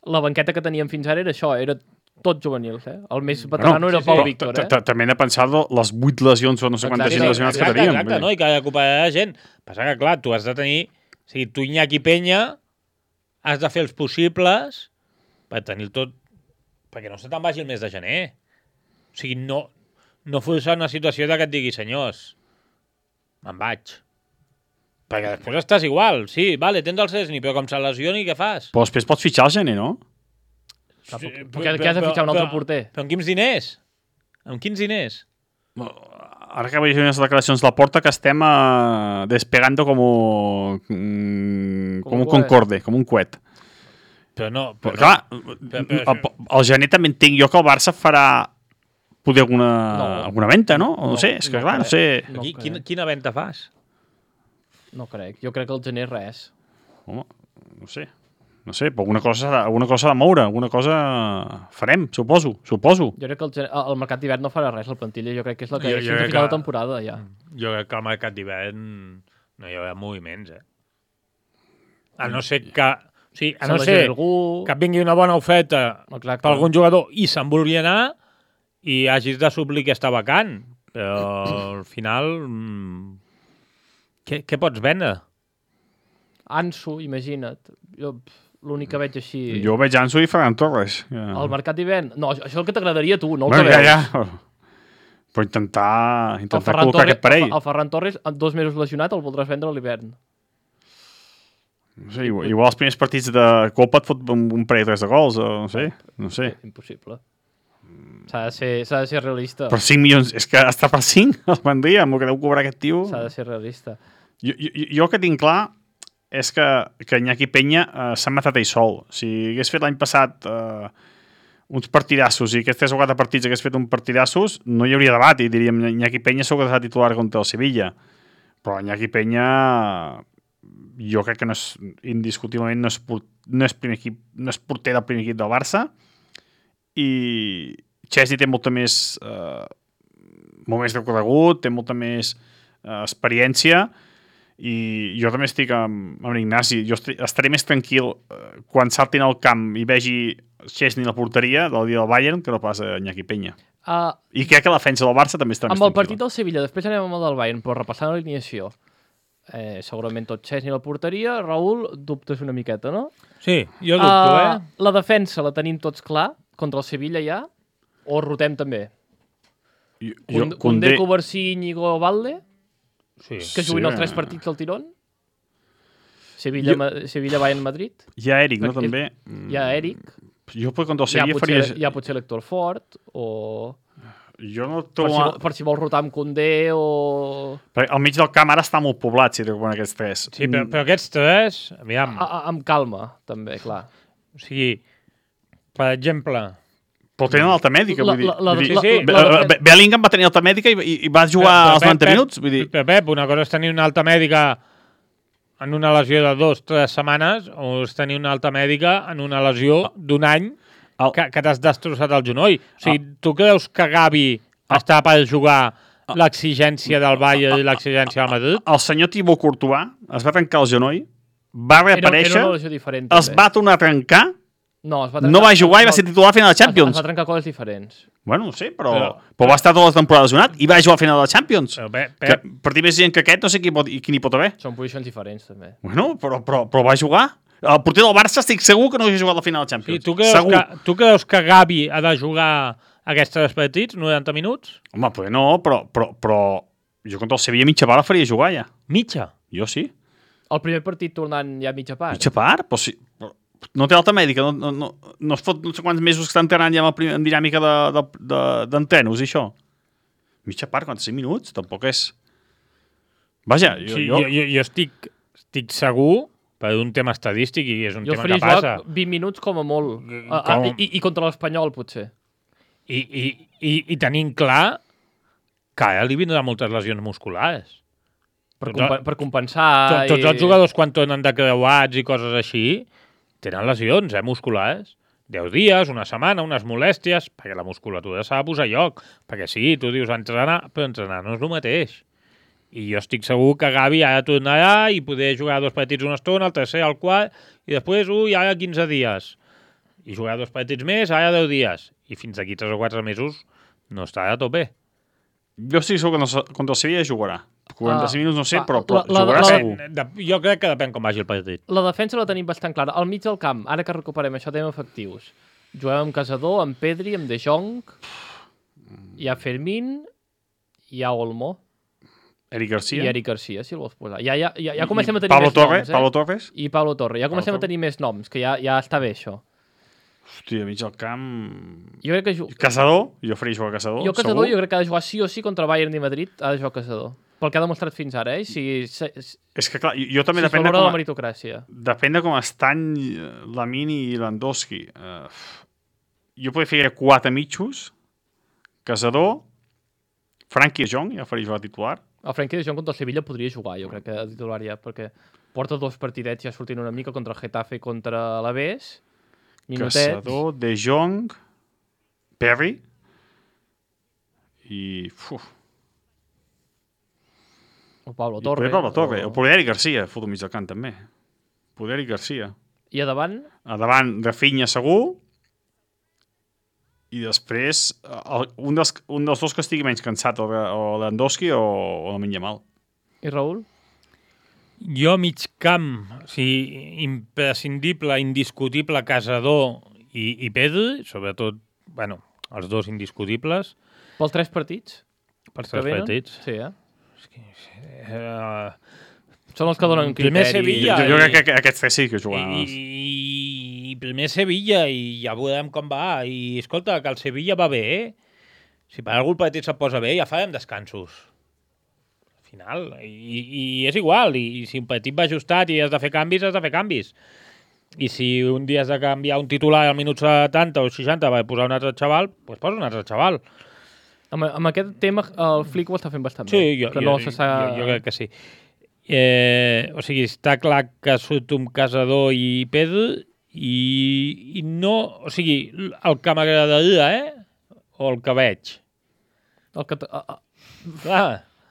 La banqueta que teníem fins ara era això, era tot juvenils, El més veterano era el Pau Víctor, També hem de pensar les 8 lesions o no sé quantes lesionats que teníem. Exacte, no? I que recuperarà gent. Passa que, clar, tu has de tenir... O sigui, tu Iñaki Peña... has de fer els possibles per tenir tot... Perquè no se te'n vagi el mes de gener. O sigui, no forçar una situació que et digui, senyors, me'n vaig. Perquè després estàs igual. Sí, vale, tens el Szczesny, però com se lesioni, què fas? Però després pots fitxar el gener, no? Perquè has de fitxar un altre porter. Però amb quins diners? Amb quins diners? Ara que veig unes declaracions de la Porta que estem despegando com un Concorde, com un coet. Però no... Clar, el gener també entenc jo que el Barça farà poder alguna venta, no? No sé, és que clar, no sé... Quina venta fas? No crec, jo crec que el gener res. Home, no sé. No sé, però alguna cosa ha de moure, alguna cosa farem, suposo. Jo crec que el mercat d'hivern no farà res, la plantilla, jo crec que és la que és fins a final de temporada, ja. Jo crec que al mercat d'hivern no hi haurà moviments, A no ser que... O sigui, a no ser que vingui una bona oferta per algun jugador i se'n vulgui anar i hagis de suplir aquesta vacant. Però al final... Què pots vendre? Ansu, imagina't. Jo... L'únic que veig així... Jo veig Ansu i Ferran Torres. El mercat d'hivern... No, això és el que t'agradaria a tu, no el que veus. Ja. Però intentar col·locar aquest parell. El Ferran Torres, en 2 mesos lesionat, el voldràs vendre a l'hivern. No sé, igual els primers partits de Copa et fot un parell de gols, no sé. Impossible. S'ha de ser realista. Per 5 milions, és que està per 5 el vendria, amb el que deu cobrar aquest tio. S'ha de ser realista. Jo que tinc clar és que Iñaki Peña s'ha matat ell sol. Si hagués fet l'any passat uns partidassos i aquests 3 o 4 partits hagués fet un partidassos, no hi hauria debat i diríem Iñaki Peña segur que serà titular contra el Sevilla. Però Iñaki Peña jo crec que indiscutiblement no és porter del primer equip del Barça i Szczesny té molt més recorregut, té molta més experiència I jo també estic amb Ignasi. Jo estaré més tranquil quan saltin al camp i vegi Szczesny a la porteria del dia del Bayern que no pas a Iñaki Peña. I crec que la defensa del Barça també està més tranquil·la. Amb el partit del Sevilla, després anem amb el del Bayern, però repassant l'alineació, segurament tot Szczesny a la porteria. Raül, dubtes una miqueta, no? Sí, jo dubto, La defensa la tenim tots clar, contra el Sevilla ja, o rotem també? Koundé, Covarsí, Íñigo, Valde, que juguin els 3 partits del tirón? Sevilla, Bayern, Madrid? Hi ha Eric, no, també? Hi ha Eric. Jo contra el Sevilla faria... Hi ha potser l'Héctor Fort, o... Jo no per si vols rotar amb Koundé o... Al mig del camp ara està molt poblat, si recuperen aquests 3. Sí, però aquests 3, aviam... Amb calma, també, clar. O sigui, per exemple... Però tenen alta mèdica, vull dir... Bellingham va tenir alta mèdica i va jugar als 90 minuts, vull dir... Pep, una cosa és tenir una alta mèdica en una lesió de 2 o 3 setmanes, o és tenir una alta mèdica en una lesió d'1 any que t'has destrossat el genoll. O sigui, tu creus que Gavi està per jugar l'exigència del Bayern i l'exigència del Madrid? El senyor Thibaut Courtois es va trencar el genoll, va reaparèixer, es va tornar a trencar, no va jugar i va ser titular a final de Champions. Es va trencar coses diferents. Bueno, no sé, però va estar tota la temporada lesionat i va jugar a final de Champions. Per dir més gent que aquest, no sé qui n'hi pot haver. Són posicions diferents, també. Bueno, però va jugar. El porter del Barça estic segur que no hagi jugat a la final de Champions. Sí, tu creus que Gavi ha de jugar aquests 3 partits, 90 minuts? Home, pues no, però jo contra el Sevilla mitja part la faria jugar ja. Mitja? Jo sí. El primer partit tornant ja mitja part? Mitja part? Però sí. No té alta mèdica, no es fot no sé quants mesos que està entrenant ja en dinàmica d'entrenos i això. Mitja part, 45 minuts, tampoc és... Vaja, jo estic segur, per un tema estadístic, i és un tema que passa... Jo faria 20 minuts com a molt, i contra l'Espanyol, potser. I tenint clar que ara li vindran moltes lesions musculars. Per compensar... Tots els jugadors, quan tornen de creuats i coses així... Tenen lesions, musculars. 10 dies, una setmana, unes molèsties, perquè la musculatura s'ha de posar a lloc. Perquè sí, tu dius entrenar, però entrenar no és el mateix. I jo estic segur que Gavi ara tornarà i poder jugar 2 partits una estona, el tercer, el quart, i després, ara 15 dies. I jugar 2 partits més, ara 10 dies. I fins aquí 3 o 4 mesos no estarà a tope. Jo estic segur que contra el Sevilla jugarà. 45 minuts no sé, però jugarà segur. Jo crec que depèn com vagi el partit. La defensa la tenim bastant clara. Al mig del camp, ara que recuperem això, tenim efectius. Juguem amb Casador, amb Pedri, amb De Jong, hi ha Fermín, hi ha Olmo. Eric Garcia. I Eric Garcia, si el vols posar. Ja comencem a tenir més noms. Pablo Torres. I Pablo Torre. Ja comencem a tenir més noms, que ja està bé això. Hòstia, a mig del camp... Jo crec que... Casador? Jo faria jugar a Casador. Jo Casador jo crec que ha de jugar sí o sí contra Bayern i Madrid, ha de jugar Casador. Pel que ha demostrat fins ara, És que clar, jo també depèn de la meritocràcia. Depèn de com estan Lamine i Lewandowski. Jo podria fer 4 mitjos, Casador, Frenkie de Jong, ja faria jugar titular. El Frenkie de Jong contra el Sevilla podria jugar, jo crec que a titular ja, perquè porta 2 partidets ja sortint una mica contra el Getafe i contra l'Alavés. Minutets. Casador, De Jong, Perry i... O Pablo Torre. O poder Eric Garcia, foto mig del camp també. Poder Eric Garcia. I a davant? A davant, Rafinha segur. I després, un dels 2 que estigui menys cansat, o Lewandowski o Lamine Yamal. I Raül? Jo mig camp, o sigui, imprescindible, indiscutible, Casador i Pedri, sobretot, bueno, els 2 indiscutibles. Pels 3 partits? Pels 3 partits. Sí, Són els que donen criteri. Primer Sevilla. Jo crec que aquests 3 sí que juguen. I primer Sevilla, i ja veurem com va. I escolta, que el Sevilla va bé, Si per algú el partit se't posa bé, ja farem descansos. Al final. I és igual. I si un partit va ajustat i has de fer canvis, has de fer canvis. I si un dia has de canviar un titular al minut 70 o 60 per posar un altre xaval, doncs posa un altre xaval. Amb aquest tema el Flick ho està fent bastant bé. Sí, jo crec que sí. O sigui, està clar que surt un Casador i Pedro i no... O sigui, el que m'agradaria, o el que veig? El que...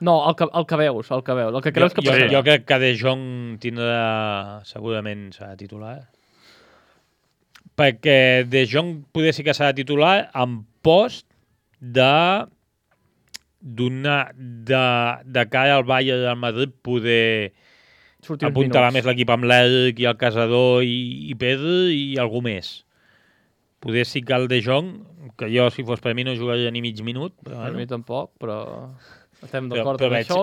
No, el que veus, el que creus que passarà. Jo crec que De Jong tindrà segurament serà titular. Perquè De Jong poder sí que serà titular en post de cara al Bayern del Madrid poder apuntalar més l'equip amb l'Eric i el Casador i Pedro i algú més. Poder sí que el De Jong, que jo si fos per mi no jugaria ni mig minut. Per mi tampoc, però estem d'acord amb això.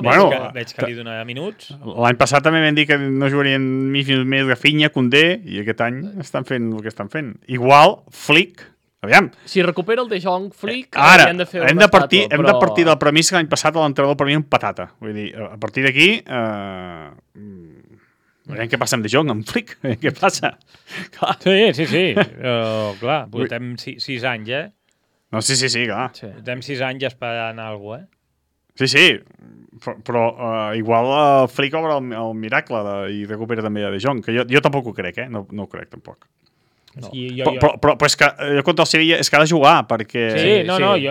Veig que li donarà minuts. L'any passat també vam dir que no jugarien mig minut més Rafinha, Koundé, i aquest any estan fent el que estan fent. Igual, Flick, aviam. Si recupera el De Jong, Flick, ara, hem de partir del premissa que l'any passat l'entrenador per mi un patata. Vull dir, a partir d'aquí... veiem què passa amb De Jong, amb Flick. Què passa? Sí. Clar, portem 6 anys, No, sí, clar. Portem 6 anys esperant alguna cosa, Sí, però igual Flick obre el miracle i recupera també a De Jong, que jo tampoc ho crec, no ho crec tampoc. No. Però és que jo contra el Sevilla és que ha de jugar, perquè...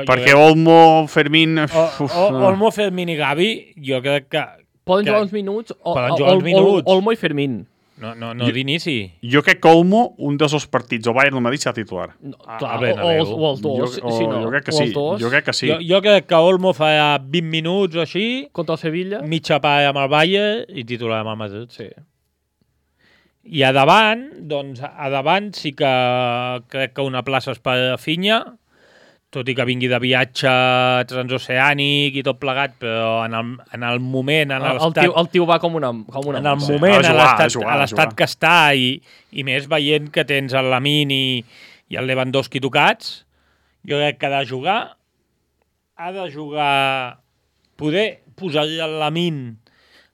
perquè Olmo, Fermín... Olmo, Fermín i Gavi, jo crec que... Poden jugar uns minuts, Olmo i Fermín. No d'inici. Jo crec que Olmo, un dels dos partits, o Bayern o Madrid, serà titular. Clar, o els dos. Jo crec que sí. Jo crec que Olmo farà 20 minuts o així. Contra el Sevilla. Mitja part amb el Bayern i titular amb el Madrid. Sí. I a davant sí que crec que una plaça és per Rafinha, tot i que vingui de viatge transoceànic i tot plegat, però en el moment... El tio va com una en el moment, a l'estat que està, i més veient que tens el Lamine i el Lewandowski tocats, jo crec que ha de jugar... Poder posar-li el Lamine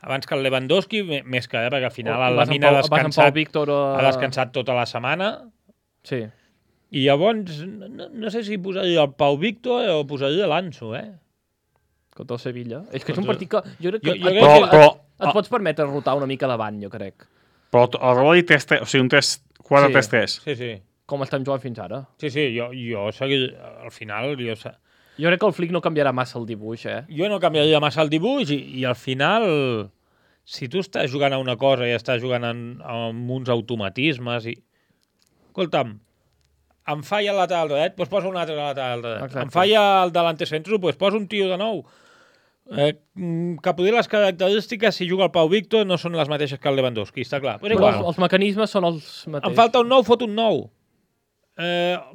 abans que el Lewandowski, més que perquè al final el Lamine ha descansat tota la setmana. Sí. I llavors, no sé si posaria el Pau Víctor o posaria l'Anso, Contra el Sevilla. És que és un partit que... Jo crec que et pots permetre rotar una mica davant, jo crec. Però el Reboli 3-3, o sigui, un 4-3-3. Sí. Com estem jugant fins ara. Sí, jo seguir... Al final... Jo crec que el Flick no canviarà massa el dibuix, Jo no canviaria massa el dibuix i al final, si tu estàs jugant a una cosa i estàs jugant amb uns automatismes i... Escolta'm, em falla el lateral dret, doncs posa un altre lateral dret. Exacte. Em falla el delanter centre, doncs posa un tio de nou. Que poder les característiques, si juga el Pau Víctor, no són les mateixes que el Lewandowski, està clar. Però els mecanismes són els mateixos. Em falta un nou, fot un nou.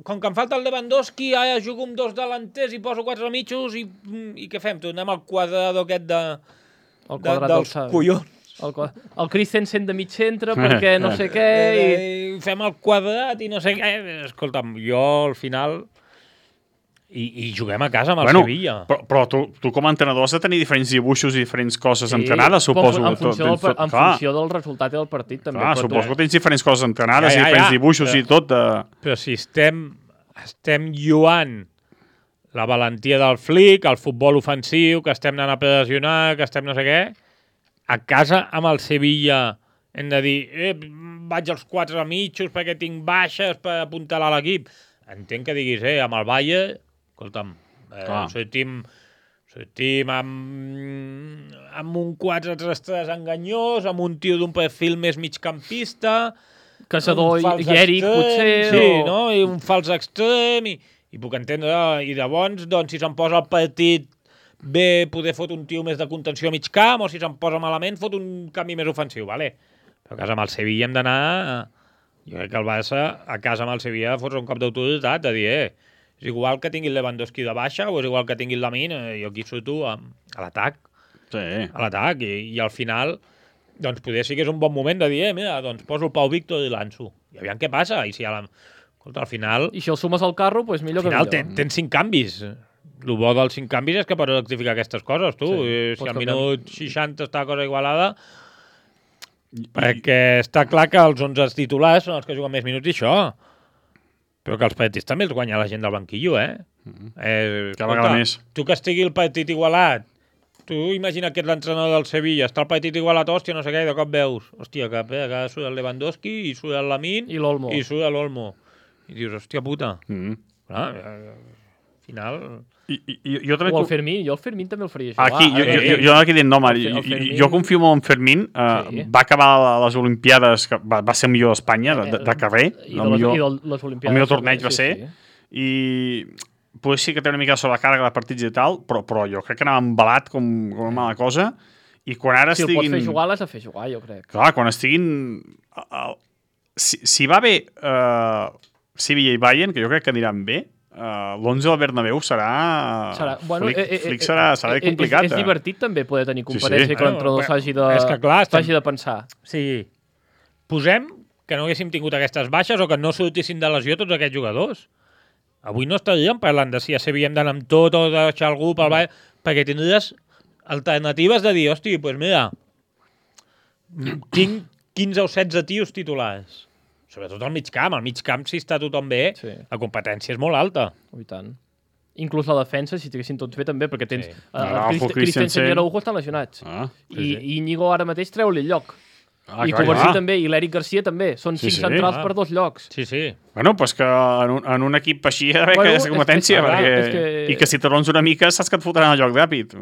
Com que em falta el Lewandowski, ara jugo amb 2 delanters i poso 4 mitjos i què fem? Tornem al quadrador aquest dels collons. El Christensen de mig centre perquè no sé què i fem el quadrat i no sé què. Escolta'm, jo al final i juguem a casa amb el Sevilla. Però tu com a entrenador has de tenir diferents dibuixos i diferents coses entrenades, suposo. En funció del resultat del partit també. Clar, suposo que tens diferents coses entrenades i diferents dibuixos i tot. Però si estem lluant la valentia del Flick, el futbol ofensiu, que estem anant a pressionar, que estem no sé què, a casa amb el Sevilla hem de dir vaig als 4 mitjos perquè tinc baixes per apuntalar l'equip. Entenc que diguis, amb el Bayern, escolta'm, sortim amb un 4-3-3 enganyós, amb un tio d'un perfil més migcampista, Caçador i Eric, potser. Sí, no? I un fals extrem, i puc entendre, i llavors, doncs, si se'n posa el partit bé, poder fot un tio més de contenció a mig camp, o si se'n posa malament, fot un canvi més ofensiu, vale? Però a casa amb el Sevilla hem d'anar... Jo crec que el Barça, a casa amb el Sevilla, fots un cop d'autoritat, de dir, és igual que tingui el Lewandowski de baixa, o és igual que tingui el Lamine, jo aquí surto a l'atac. Sí. A l'atac, i al final, doncs poder sí que és un bon moment de dir, mira, doncs poso el Pau Víctor i l'Anso. I aviam què passa, i si escolta, al final... I si el sumes al carro, doncs millor que millor. Al final tens 5 canvis. El bo dels 5 canvis és que pots rectificar aquestes coses, tu. Sí, si al minut 60 està la cosa igualada... Perquè està clar que els 11 titulars són els que juguen més minuts i això. Però que els partits també els guanya la gent del banquillo, Cada vegada més. Tu que estigui el partit igualat, tu imagina que ets l'entrenador del Sevilla, està el partit igualat, hòstia, no sé què, i de cop veus, hòstia, que surt el Lewandowski i surt el Lamine i l'Olmo. I surt l'Olmo. I dius, hòstia puta. Clar, final... Jo també... O el Fermín, jo el Fermín també el faria jugar. Aquí, jo aquí dient, no, jo confio molt en Fermín, va acabar les Olimpiades, va ser el millor d'Espanya, de carrer, el millor torneig va ser, i potser sí que té una mica de sobrecàrrega de partits i tal, però jo crec que anava embalat com una mala cosa, i quan ara si estiguin... Si el pots fer jugar, l'has de fer jugar, jo crec. Clar, quan estiguin... Si va bé Sevilla i Bayern, que jo crec que aniran bé, l'11 al Bernabéu serà complicat. És divertit també poder tenir competència que l'entrenador s'hagi de pensar. Sí. Posem que no haguéssim tingut aquestes baixes o que no sortissin de lesió tots aquests jugadors. Avui no estaríem parlant de si a Sevilla hem d'anar amb tot o deixar algú pel Bayern, perquè tindries alternatives de dir, hosti, doncs mira, tinc 15 o 16 tios titulars. Sobretot al mig camp. Al mig camp, si està tothom bé, la competència és molt alta. I tant. Inclús la defensa, si estiguessin tots bé també, perquè tens... Christensen i Araujo estan lesionats. I Íñigo ara mateix treu-li el lloc. I Covarsí també, i l'Eric Garcia també. Són 5 centrals per 2 llocs. Sí. Bueno, doncs que en un equip així ha d'haver que és competència, i que si t'arrons una mica saps que et fotran el joc ràpid.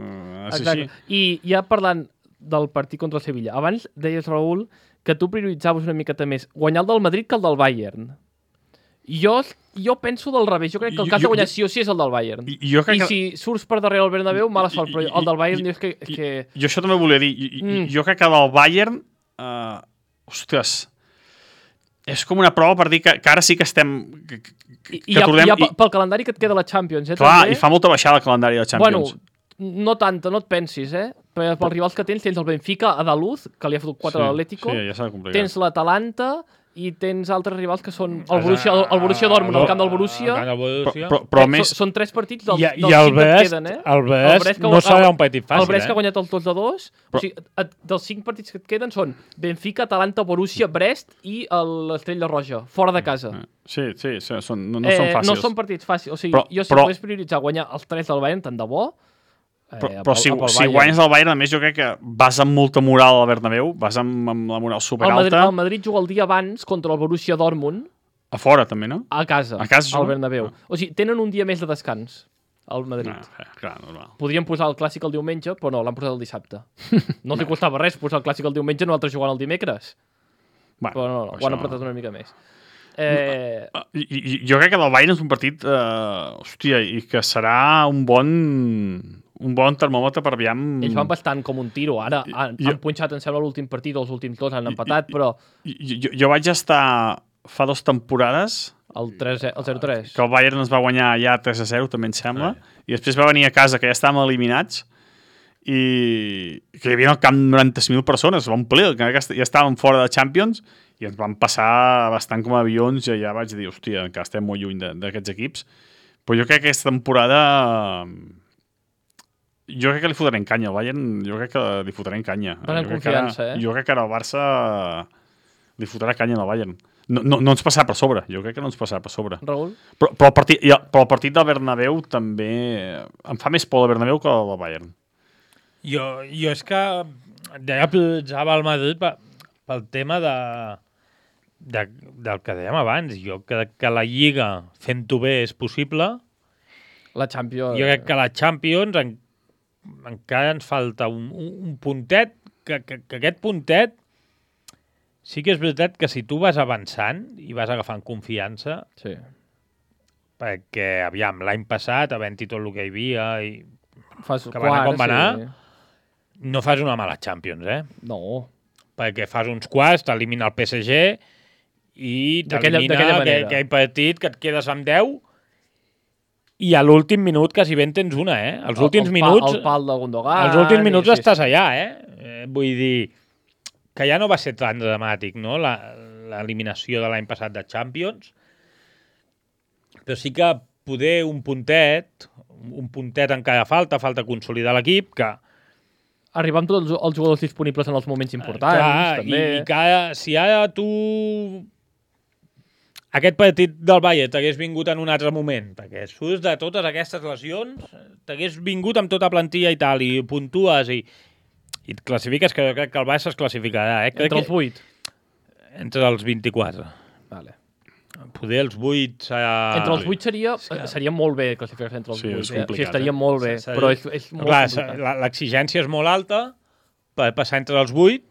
I ja parlant del partit contra el Sevilla, abans deies, Raül, que tu prioritzaves una miqueta més guanyar el del Madrid que el del Bayern. Jo penso del revés. Jo crec que el cas de guanyar sí o sí és el del Bayern. I si surts per darrere el Bernabéu, mala sort, però el del Bayern dius que... Jo això també volia dir. Jo crec que el del Bayern... Ostres... És com una prova per dir que ara sí que estem... Pel calendari que et queda la Champions, Clar, i fa molta baixada el calendari de la Champions. Bueno, no tanta, no et pensis, Pels rivals que tens el Benfica a Daluz, que li ha fotut 4 a l'Atlético, tens l'Atalanta i tens altres rivals que són el Borussia Dortmund, el camp del Borussia. Però més... Són 3 partits dels 5 que et queden, El Brest no serà un partit fàcil, El Brest que ha guanyat els 2-2. O sigui, dels 5 partits que et queden són Benfica, Atalanta, Borussia, Brest i l'Estrella Roja, fora de casa. Sí, no són fàcils. No són partits fàcils. O sigui, jo si pogués prioritzar guanyar els 3 del Bayern, tant de bo. Però si guanyes el Bayern, a més, jo crec que vas amb molta moral al Bernabéu, vas amb la moral superalta. El Madrid juga el dia abans contra el Borussia Dortmund. A fora, també, no? A casa al Bernabéu. O sigui, tenen un dia més de descans, al Madrid. Clar, normal. Podríem posar el clàssic el diumenge, però no, l'han posat el dissabte. No els costava res posar el clàssic el diumenge, nosaltres jugant el dimecres. Però no, ho han apretat una mica més. Jo crec que el Bayern és un partit, i que serà un bon termòmetre per aviam... Ells van bastant com un tiro. Ara han punxat, em sembla, l'últim partit, els últims 2 han empatat, però... Jo vaig estar fa 2 temporades... El 0-3. Que el Bayern ens va guanyar ja 3-0, també em sembla, i després va venir a casa, que ja estàvem eliminats, i que hi havia al camp 90.000 persones, va omplir, que ja estàvem fora de Champions, i ens van passar bastant com a avions, i ja vaig dir, hòstia, encara estem molt lluny d'aquests equips. Però jo crec que aquesta temporada... Jo crec que li fotrem canya al Bayern, jo crec que li fotrem canya. Confiança, Jo crec que ara el Barça li fotrà canya al Bayern. No ens passarà per sobre, jo crec que no ens passarà per sobre. Raül? Però el partit del Bernabéu també... Em fa més por el Bernabéu que el Bayern. Jo és que ja prioritzava el Madrid pel tema del que dèiem abans. Jo crec que la Lliga fent-ho bé és possible. La Champions... Jo crec que la Champions encara ens falta un puntet, que aquest puntet sí que és veritat que si tu vas avançant i vas agafant confiança, sí. Perquè, aviam, l'any passat, havent-hi tot el que hi havia, i que va anar com va anar, no fas una mala Champions, No. Perquè fas uns quarts, t'elimina el PSG i t'elimina aquell partit que et quedes amb 10 i a l'últim minut quasi ben tens una, Els últims minuts... El pal de Gundogan... Els últims minuts estàs allà, Vull dir que ja no va ser tan dramàtic, no?, l'eliminació de l'any passat de Champions, però sí que poder un puntet encara falta consolidar l'equip, que... Arribar amb tots els jugadors disponibles en els moments importants, clar, també. I que si ara tu... Aquest partit del Bayern t'hagués vingut en un altre moment, perquè surts de totes aquestes lesions, t'hagués vingut amb tota plantilla i tal, i puntues i et classifiques, que jo crec que el Barça es classificarà. Entre els 8? Entre els 24. Vale. Poder els 8... Entre els 8 seria molt bé classificar-se entre els 8. És complicat, sí, estaria molt bé, però és molt complicat. L'exigència és molt alta per passar entre els 8,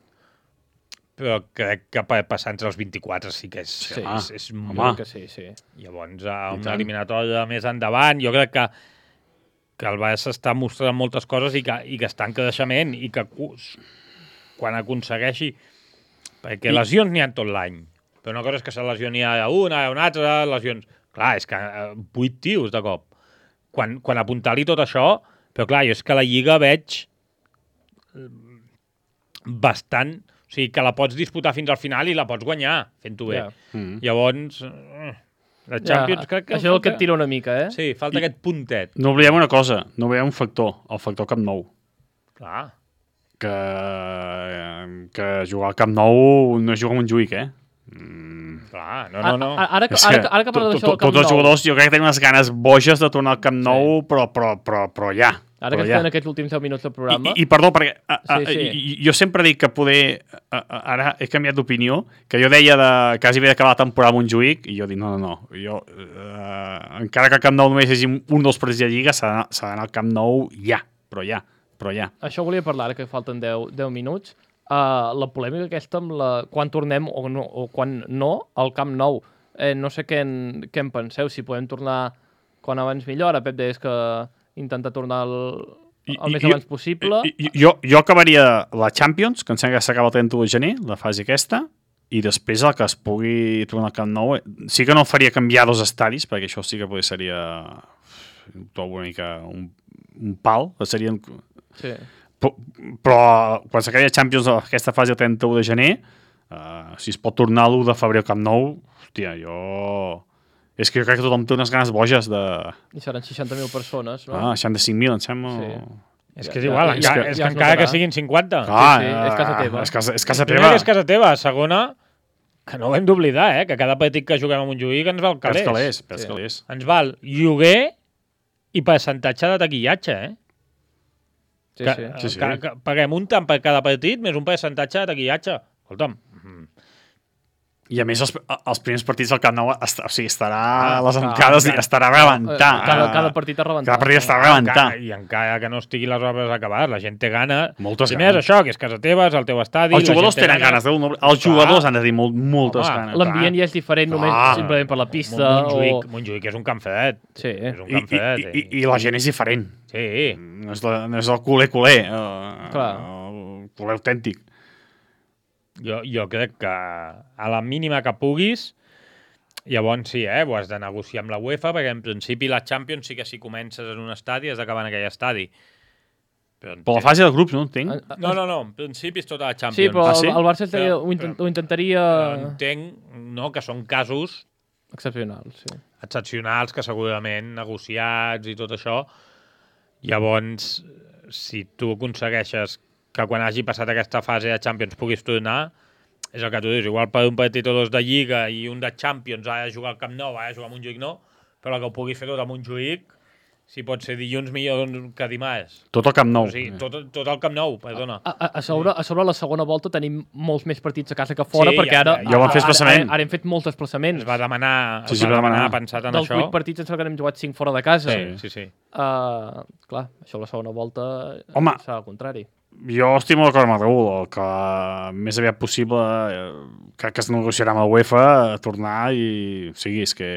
però crec que per passar entre els 24 sí que és molt... Que sí. Llavors, a una eliminatòria més endavant, jo crec que el Barça està mostrant moltes coses i que està en creixement i que quan aconsegueixi... Perquè lesions n'hi ha tot l'any, però una cosa és que se lesioni una altra, lesions... Clar, és que 8 tios de cop. Quan apuntar-li tot això... Però clar, jo és que la Lliga veig bastant... O sigui, que la pots disputar fins al final i la pots guanyar, fent-ho bé. Llavors, la Champions crec que... Això és el que et tira una mica, eh? Sí, falta aquest puntet. No oblidem una cosa, no oblidem un factor, el factor Camp Nou. Clar. Que jugar al Camp Nou no és jugar a Montjuïc, eh? Clar, no. Ara que parla d'això del Camp Nou... Tots els jugadors jo crec que tenen unes ganes boges de tornar al Camp Nou, però ja. Ara que estem en aquests últims 10 minuts del programa... I perdó, perquè jo sempre dic que poder... Ara he canviat d'opinió, que jo deia quasi bé d'acabar la temporada a Montjuïc, i jo dic, no. Jo, encara que al Camp Nou només hi hagi un dels partits de Lliga, s'ha d'anar al Camp Nou ja. Això volia parlar, ara que falten 10 minuts. La polèmica aquesta amb quan tornem o quan no al Camp Nou. No sé què en penseu, si podem tornar quan abans millor. Ara Pep deies que intentar tornar el més abans possible. Jo acabaria la Champions, que em sembla que s'acaba el 31 de gener, la fase aquesta, i després el que es pugui tornar al Camp Nou. Sí que no faria canviar 2 estadis, perquè això sí que potser seria una mica un pal. Serien... Sí. Però quan s'acabi la Champions aquesta fase el 31 de gener, si es pot tornar l'1 de febrer al Camp Nou, hòstia, és que jo crec que tothom té unes ganes boges de... I seran 60.000 persones, no? 65.000, em sembla. Sí. És que és igual, és que encara que siguin 50. Sí, és casa teva. És casa teva. És casa teva. Segona, que no ho hem d'oblidar, que cada partit que juguem a Montjuïc ens val calés. Calés. Ens val lloguer i percentatge de taquillatge, Sí. Que paguem un tant per cada partit més un percentatge de taquillatge. Escolta'm. I a més, els primers partits del Camp Nou estarà a les encades i estarà a rebentar. Cada partit a rebentar. Cada partit estarà a rebentar. I encara que no estigui les obres acabades, la gent té gana. Moltes ganes. Més això, que és casa teva, és el teu estadi. Els jugadors tenen ganes. Els jugadors han de dir moltes ganes. L'ambient ja és diferent només simplement per la pista. Montjuïc és un camp fred. Sí. És un camp fred. I la gent és diferent. Sí. No és el culer. Clar. El culer autèntic. Jo crec que a la mínima que puguis, llavors sí, ho has de negociar amb la UEFA, perquè en principi la Champions sí que si comences en un estadi has d'acabar en aquell estadi. Però la fase de grups, no entenc? No, en principi és tota la Champions. Sí, però el Barça ho intentaria... Entenc, que són casos... Excepcionals, sí. Excepcionals, que segurament negociats i tot això. Llavors, si tu aconsegueixes que quan hagi passat aquesta fase de Champions puguis tornar, és el que tu dius, igual per un partit o 2 de Lliga i un de Champions ha de jugar al Camp Nou, ha de jugar a Montjuïc no, però que ho pugui fer tot a Montjuïc, si pot ser dilluns millor que dimarts. Tot al Camp Nou. O sigui, tot al Camp Nou, perdona. A sobre la segona volta tenim molts més partits a casa que fora, perquè ara ja vam fer desplaçament. Ara hem fet molts desplaçaments. Es va demanar pensat en això. Dels 8 partits ens n'hem jugat 5 fora de casa. Sí. Clar, això la segona volta serà al contrari. Jo estic molt d'acord amb el Raül, el que més aviat possible crec que es negociarà amb la UEFA a tornar i... O sigui, és que...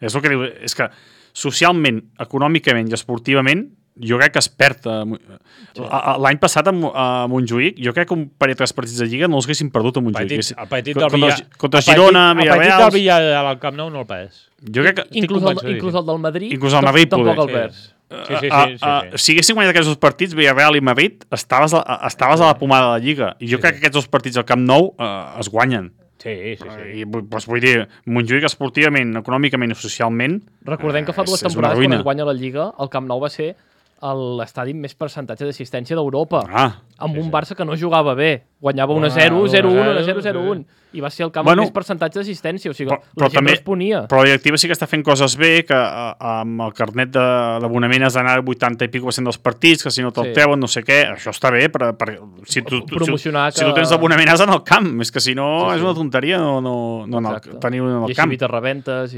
És el que diu, és que socialment, econòmicament i esportivament jo crec que es perd. L'any passat a Montjuïc, jo crec que un parell de 3 partits de Lliga no els haguessin perdut a Montjuïc. El partit del Villarreal... Contra Girona, Villarreal... El partit del Villarreal al Camp Nou no el perds. Jo crec que... Inclús el del Madrid, tampoc el perds. Sí. Si haguessin guanyat aquests 2 partits, Villarreal i Madrid, estaves a la pomada de la Lliga. I jo crec que aquests 2 partits al Camp Nou es guanyen. Sí. I vull dir, Montjuïc esportivament, econòmicament i socialment... Recordem que fa 2 temporades quan es guanya la Lliga, el Camp Nou va ser l'estadi amb més percentatge d'assistència d'Europa. Amb un sí. Barça que no jugava bé. Guanyava 1-0, 0-1, 1-0, 0-1. I va ser el camp amb més percentatge d'assistència. O sigui, la gent responia. Però la directiva sí que està fent coses bé, que amb el carnet de l'abonament has d'anar al 80 i pico % dels partits, que si no te'l treuen, no sé què. Això està bé. Si tu tens l'abonament has d'anar al camp. És que si no és una tonteria no tenir un al camp. I així evites rebentes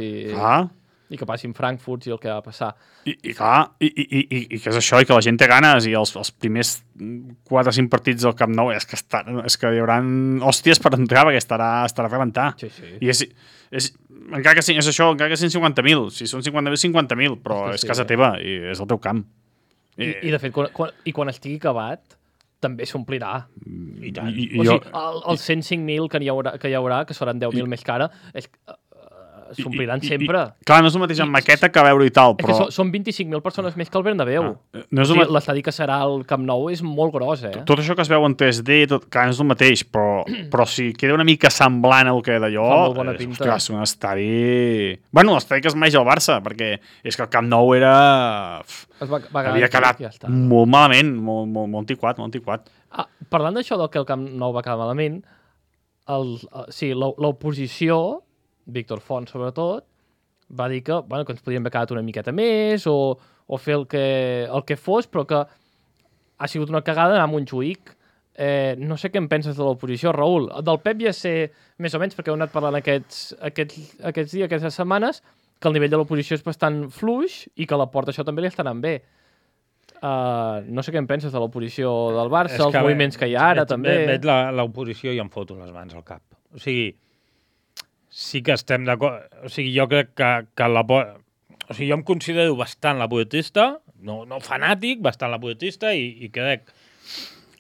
i que passin Frankfurt i el que va passar. I clar, i que és això, i que la gent té ganes, i els primers 4 o 5 partits del Camp Nou és que hi haurà hòsties per entrar, perquè estarà a rebentar. Sí. I encara que és això, encara que siguin 50.000, si són 50.000, 50.000, però és casa teva i és el teu camp. I de fet, quan estigui acabat, també s'omplirà. I tant. Els 105.000 que hi haurà, que seran 10.000 més cara, s'ompliran sempre. Clar, no és el mateix en maqueta que veure i tal, però... Són 25.000 persones més que el Bernabéu. L'estadi que serà el Camp Nou és molt gros, Tot això que es veu en 3D, clar, no és el mateix, però si queda una mica semblant al que d'allò... Fa molt bona pinta. Ostres, un estadi... Bueno, l'estadi que es mereix el Barça, perquè és que el Camp Nou era... havia quedat molt malament, molt antiquat. Parlant d'això del que el Camp Nou va quedar malament, l'oposició, Víctor Font sobretot, va dir que ens podríem haver quedat una miqueta més o fer el que fos, però que ha sigut una cagada anar a Montjuïc. No sé què en penses de l'oposició, Raül. Del Pep ja sé més o menys, perquè heu anat parlant aquests dies, aquestes setmanes, que el nivell de l'oposició és bastant fluix i que a la Porta això també li està anant bé. No sé què en penses de l'oposició del Barça, els moviments que hi ha ara també. Veig l'oposició i em foto les mans al cap. O sigui, sí que estem d'acord. O sigui, jo crec que o sigui, jo em considero bastant lapotista, no fanàtic, bastant lapotista, i crec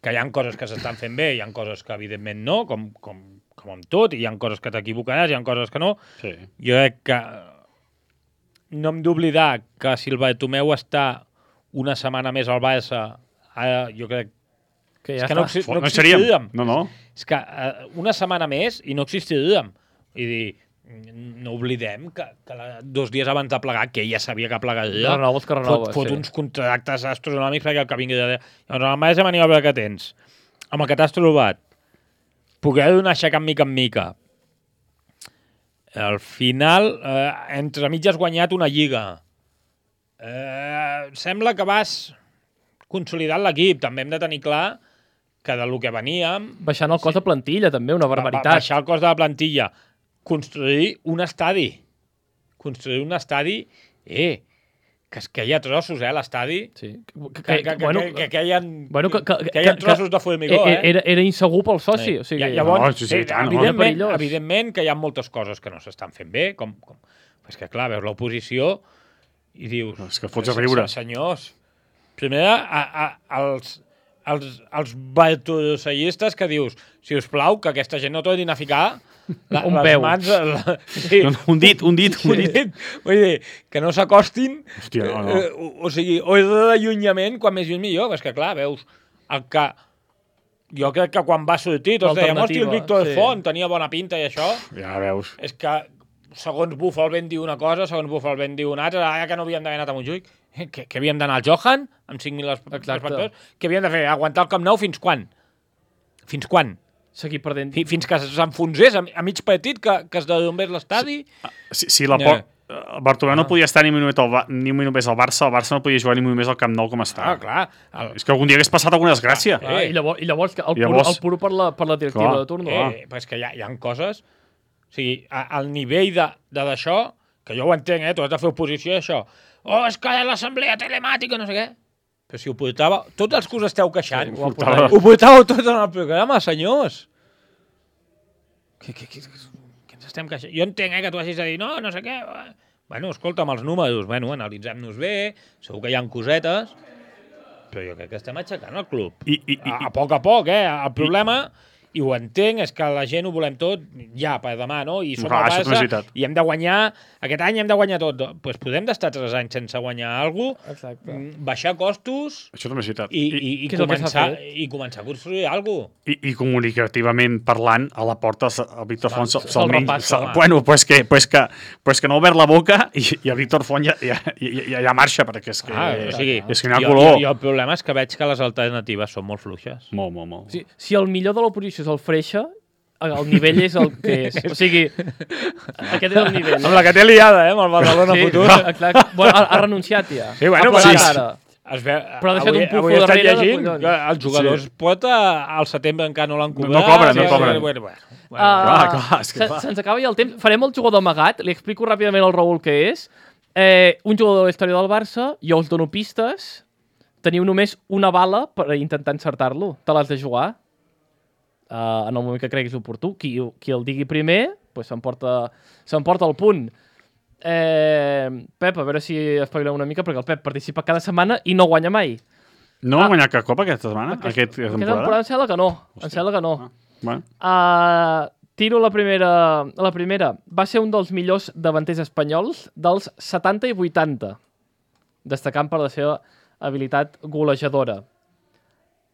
que hi ha coses que s'estan fent bé, hi ha coses que evidentment no, com amb tot, i hi ha coses que t'equivocaràs, hi ha coses que no. Sí. Jo crec que no hem d'oblidar que si el Bartomeu està una setmana més al Barça, jo crec que ja és que no existiríem. No. És que una setmana més i no existiríem. I dir, no oblidem que 2 dies abans de plegar, que ja sabia que plegaria, fot uns contractes astronòmics perquè el que vingui de... Llavors, el marge de maniobra que tens, amb el que t'has trobat, poder donar aixecar mica en mica. Al final, entre mig has guanyat una lliga. Sembla que vas consolidant l'equip. També hem de tenir clar que del que veníem... Baixant el cost de plantilla, també, una barbaritat. Baixar el cost de la plantilla. Construir un estadi. Que es queia trossos, l'estadi. Sí. Que hi ha trossos de formigó, Era insegur pel soci. O sigui, llavors, evidentment que hi ha moltes coses que no s'estan fent bé, com és que, clar, veus l'oposició i dius... És que fots a riure. Senyors, primer, els bartolosseistes que dius, si us plau, que aquesta gent no tornin a ficar un peu. Mans, un dit. Vull dir, que no s'acostin. Hòstia, no. O sigui, o d'allunyament, quan més lluny millor. És que, clar, veus, el que... Jo crec que quan va sortir tots dèiem, hòstia, el Víctor Font tenia bona pinta i això. Ja veus. És que, segons Buffal ben diu una cosa, segons Buffal ben diu una altra, ara que no havíem d'haver anat a Montjuïc, que havíem d'anar al Johan, amb 5.000 espectadors, que havíem de fer? Aguantar el Camp Nou fins quan? Fins quan? Seguir perdent. Fins que s'enfonsés a mig partit, que es derrumbés l'estadi. Si el Bartomeu no podia estar ni un minut més al Barça, el Barça no podia jugar ni un minut més al Camp Nou com està. Clar. És que algun dia hagués passat alguna desgràcia. I llavors el puro per la directiva de turno. Però és que hi ha coses... O sigui, al nivell d'això, que jo ho entenc, tu has de fer oposició a això. És que l'assemblea telemàtica, no sé què. Però si ho portava... Tots els que us esteu queixant, ho portàveu tot en el programa, senyors. Què ens estem queixant? Jo entenc que tu hagis de dir, no sé què. Bueno, escolta, amb els números, analitzem-nos bé, segur que hi ha cosetes, però jo crec que estem aixecant el club. A poc, El problema I ho entenc, és que la gent ho volem tot ja per demà, no? I som Clar, el això és Barça veritat. i hem de guanyar, aquest any hem de guanyar tot. Doncs podem d'estar 3 anys sense guanyar alguna cosa, Exacte. baixar costos Això també és veritat. i què és el que s'ha fet? començar a construir alguna cosa. I comunicativament parlant, a la porta el Víctor Font se'l repassa, home. Bueno, pues que no ha obert la boca i el Víctor Font ja marxa, perquè és que, O sigui, és que n'hi ha color. Jo el problema és que veig que les alternatives són molt fluixes. Molt, molt, molt. Si el millor de l'oposició és el Freixa, el nivell és el que és. O sigui, aquest és el nivell. Amb la que té liada, amb el Badalona futur. Exacte. Bueno, ha renunciat ja. Sí, bueno, ha sí. plegat ara. Es veu, Però ha deixat un pufo avui estan darrere de llegint collons. que els jugadors pot al setembre encara no l'han cobrat. No cobren, no cobren. Bueno. Clar, és que clar. Se'ns acaba ja el temps. Farem el jugador amagat. Li explico ràpidament al Raül què és. Un jugador de la història del Barça, jo us dono pistes. Teniu només una bala per intentar encertar-lo. Te l'has de jugar. En el moment que creguis oportú. Qui el digui primer pues s'emporta el punt. Pep, a veure si espavilem una mica, perquè el Pep participa cada setmana i no guanya mai. No ha guanyat cap cop aquesta setmana? Aquesta temporada? Em sembla que no. Em sembla que no. Bueno. Tiro la primera. Va ser un dels millors davanters espanyols dels 70 i 80, destacant per la seva habilitat golejadora.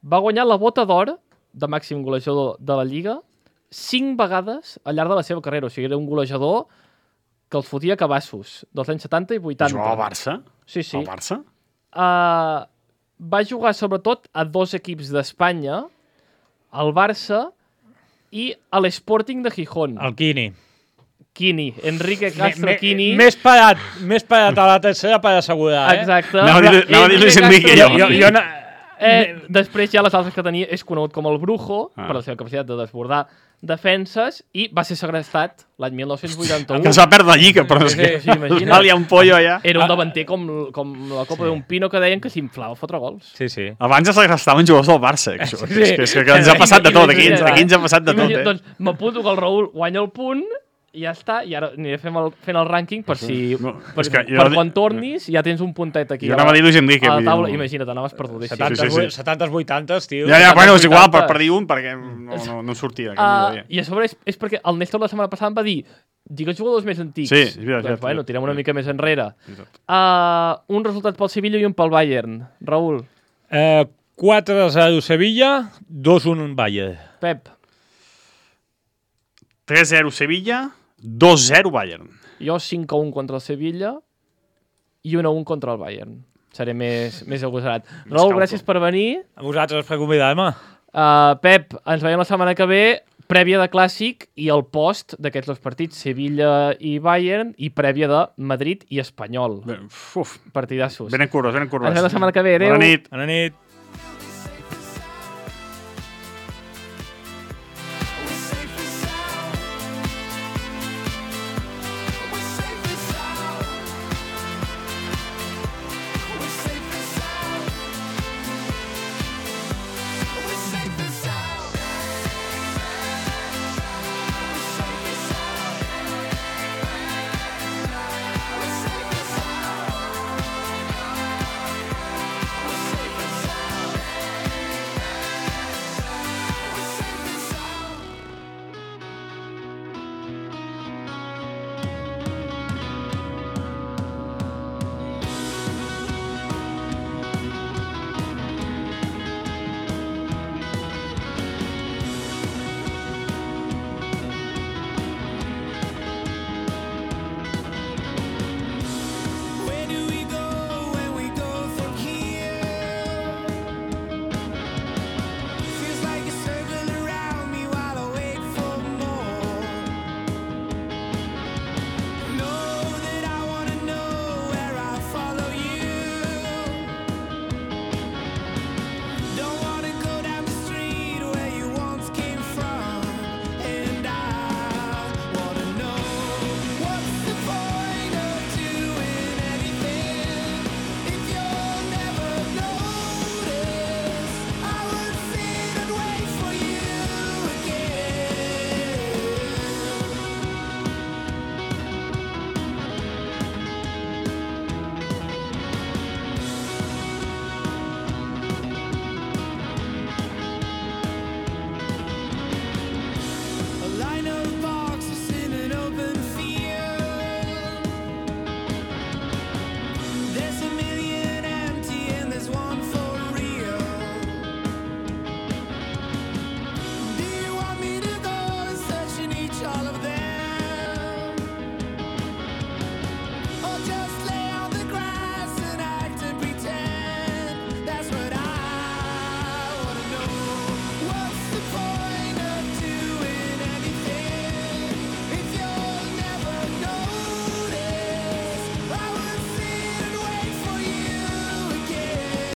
Va guanyar la bota d'or de màxim golejador de la Lliga 5 vegades al llarg de la seva carrera. O sigui, era un golejador que els fotia cabassos dels anys 70 i 80. Jugava al Barça? Sí, sí. Al Barça? Va jugar sobretot a 2 equips d'Espanya, al Barça i a l'Sporting de Gijón. El Quini. Quini, Enrique Castro Quini. Més parat a la tercera per assegurar, Exacte. Anava a dir Luis Enrique, jo. Després ja les altres que tenia és conegut com el Brujo, per la seva capacitat de desbordar defenses, i va ser segrestat l'any 1981. Que es va perdre la Lliga, però és que hi ha un pollo allà. Era un davanter com la copa d'un pino, que deien que s'inflava a fotre gols. Sí, sí. Abans es segrestaven jugadors del Barça. És que ens ha passat de tot, aquí ens ha passat de tot. Doncs m'apunto que el Raül guanya el punt, i ja està, i ara aniré fent el rànquing per quan tornis ja tens un puntet aquí jo anava a dir Luis Enrique a la taula. Imagina't, anaves perdudíssim. 70, 80, tio. Ja, bueno, és igual, per dir un, perquè no sortia. I a sobre és perquè el Néstor la setmana passada em va dir digues jugadors més antics. Sí, és veritat. Doncs, bueno, tirem una mica més enrere. Un resultat pel Sevilla i un pel Bayern. Raül. 4-0 Sevilla, 2-1 Bayern. Pep. 3-0 Sevilla, 2-0 Bayern. Jo 5-1 contra el Sevilla i 1-1 contra el Bayern. Seré més agosarat. Raül, gràcies per venir. A vosaltres per convidar-me. Pep, ens veiem la setmana que ve, prèvia de Clàssic i el post d'aquests 2 partits, Sevilla i Bayern, i prèvia de Madrid i Espanyol. Partidassos. Venen curves. Ens veiem la setmana que ve. Adéu. Bona nit. Bona nit.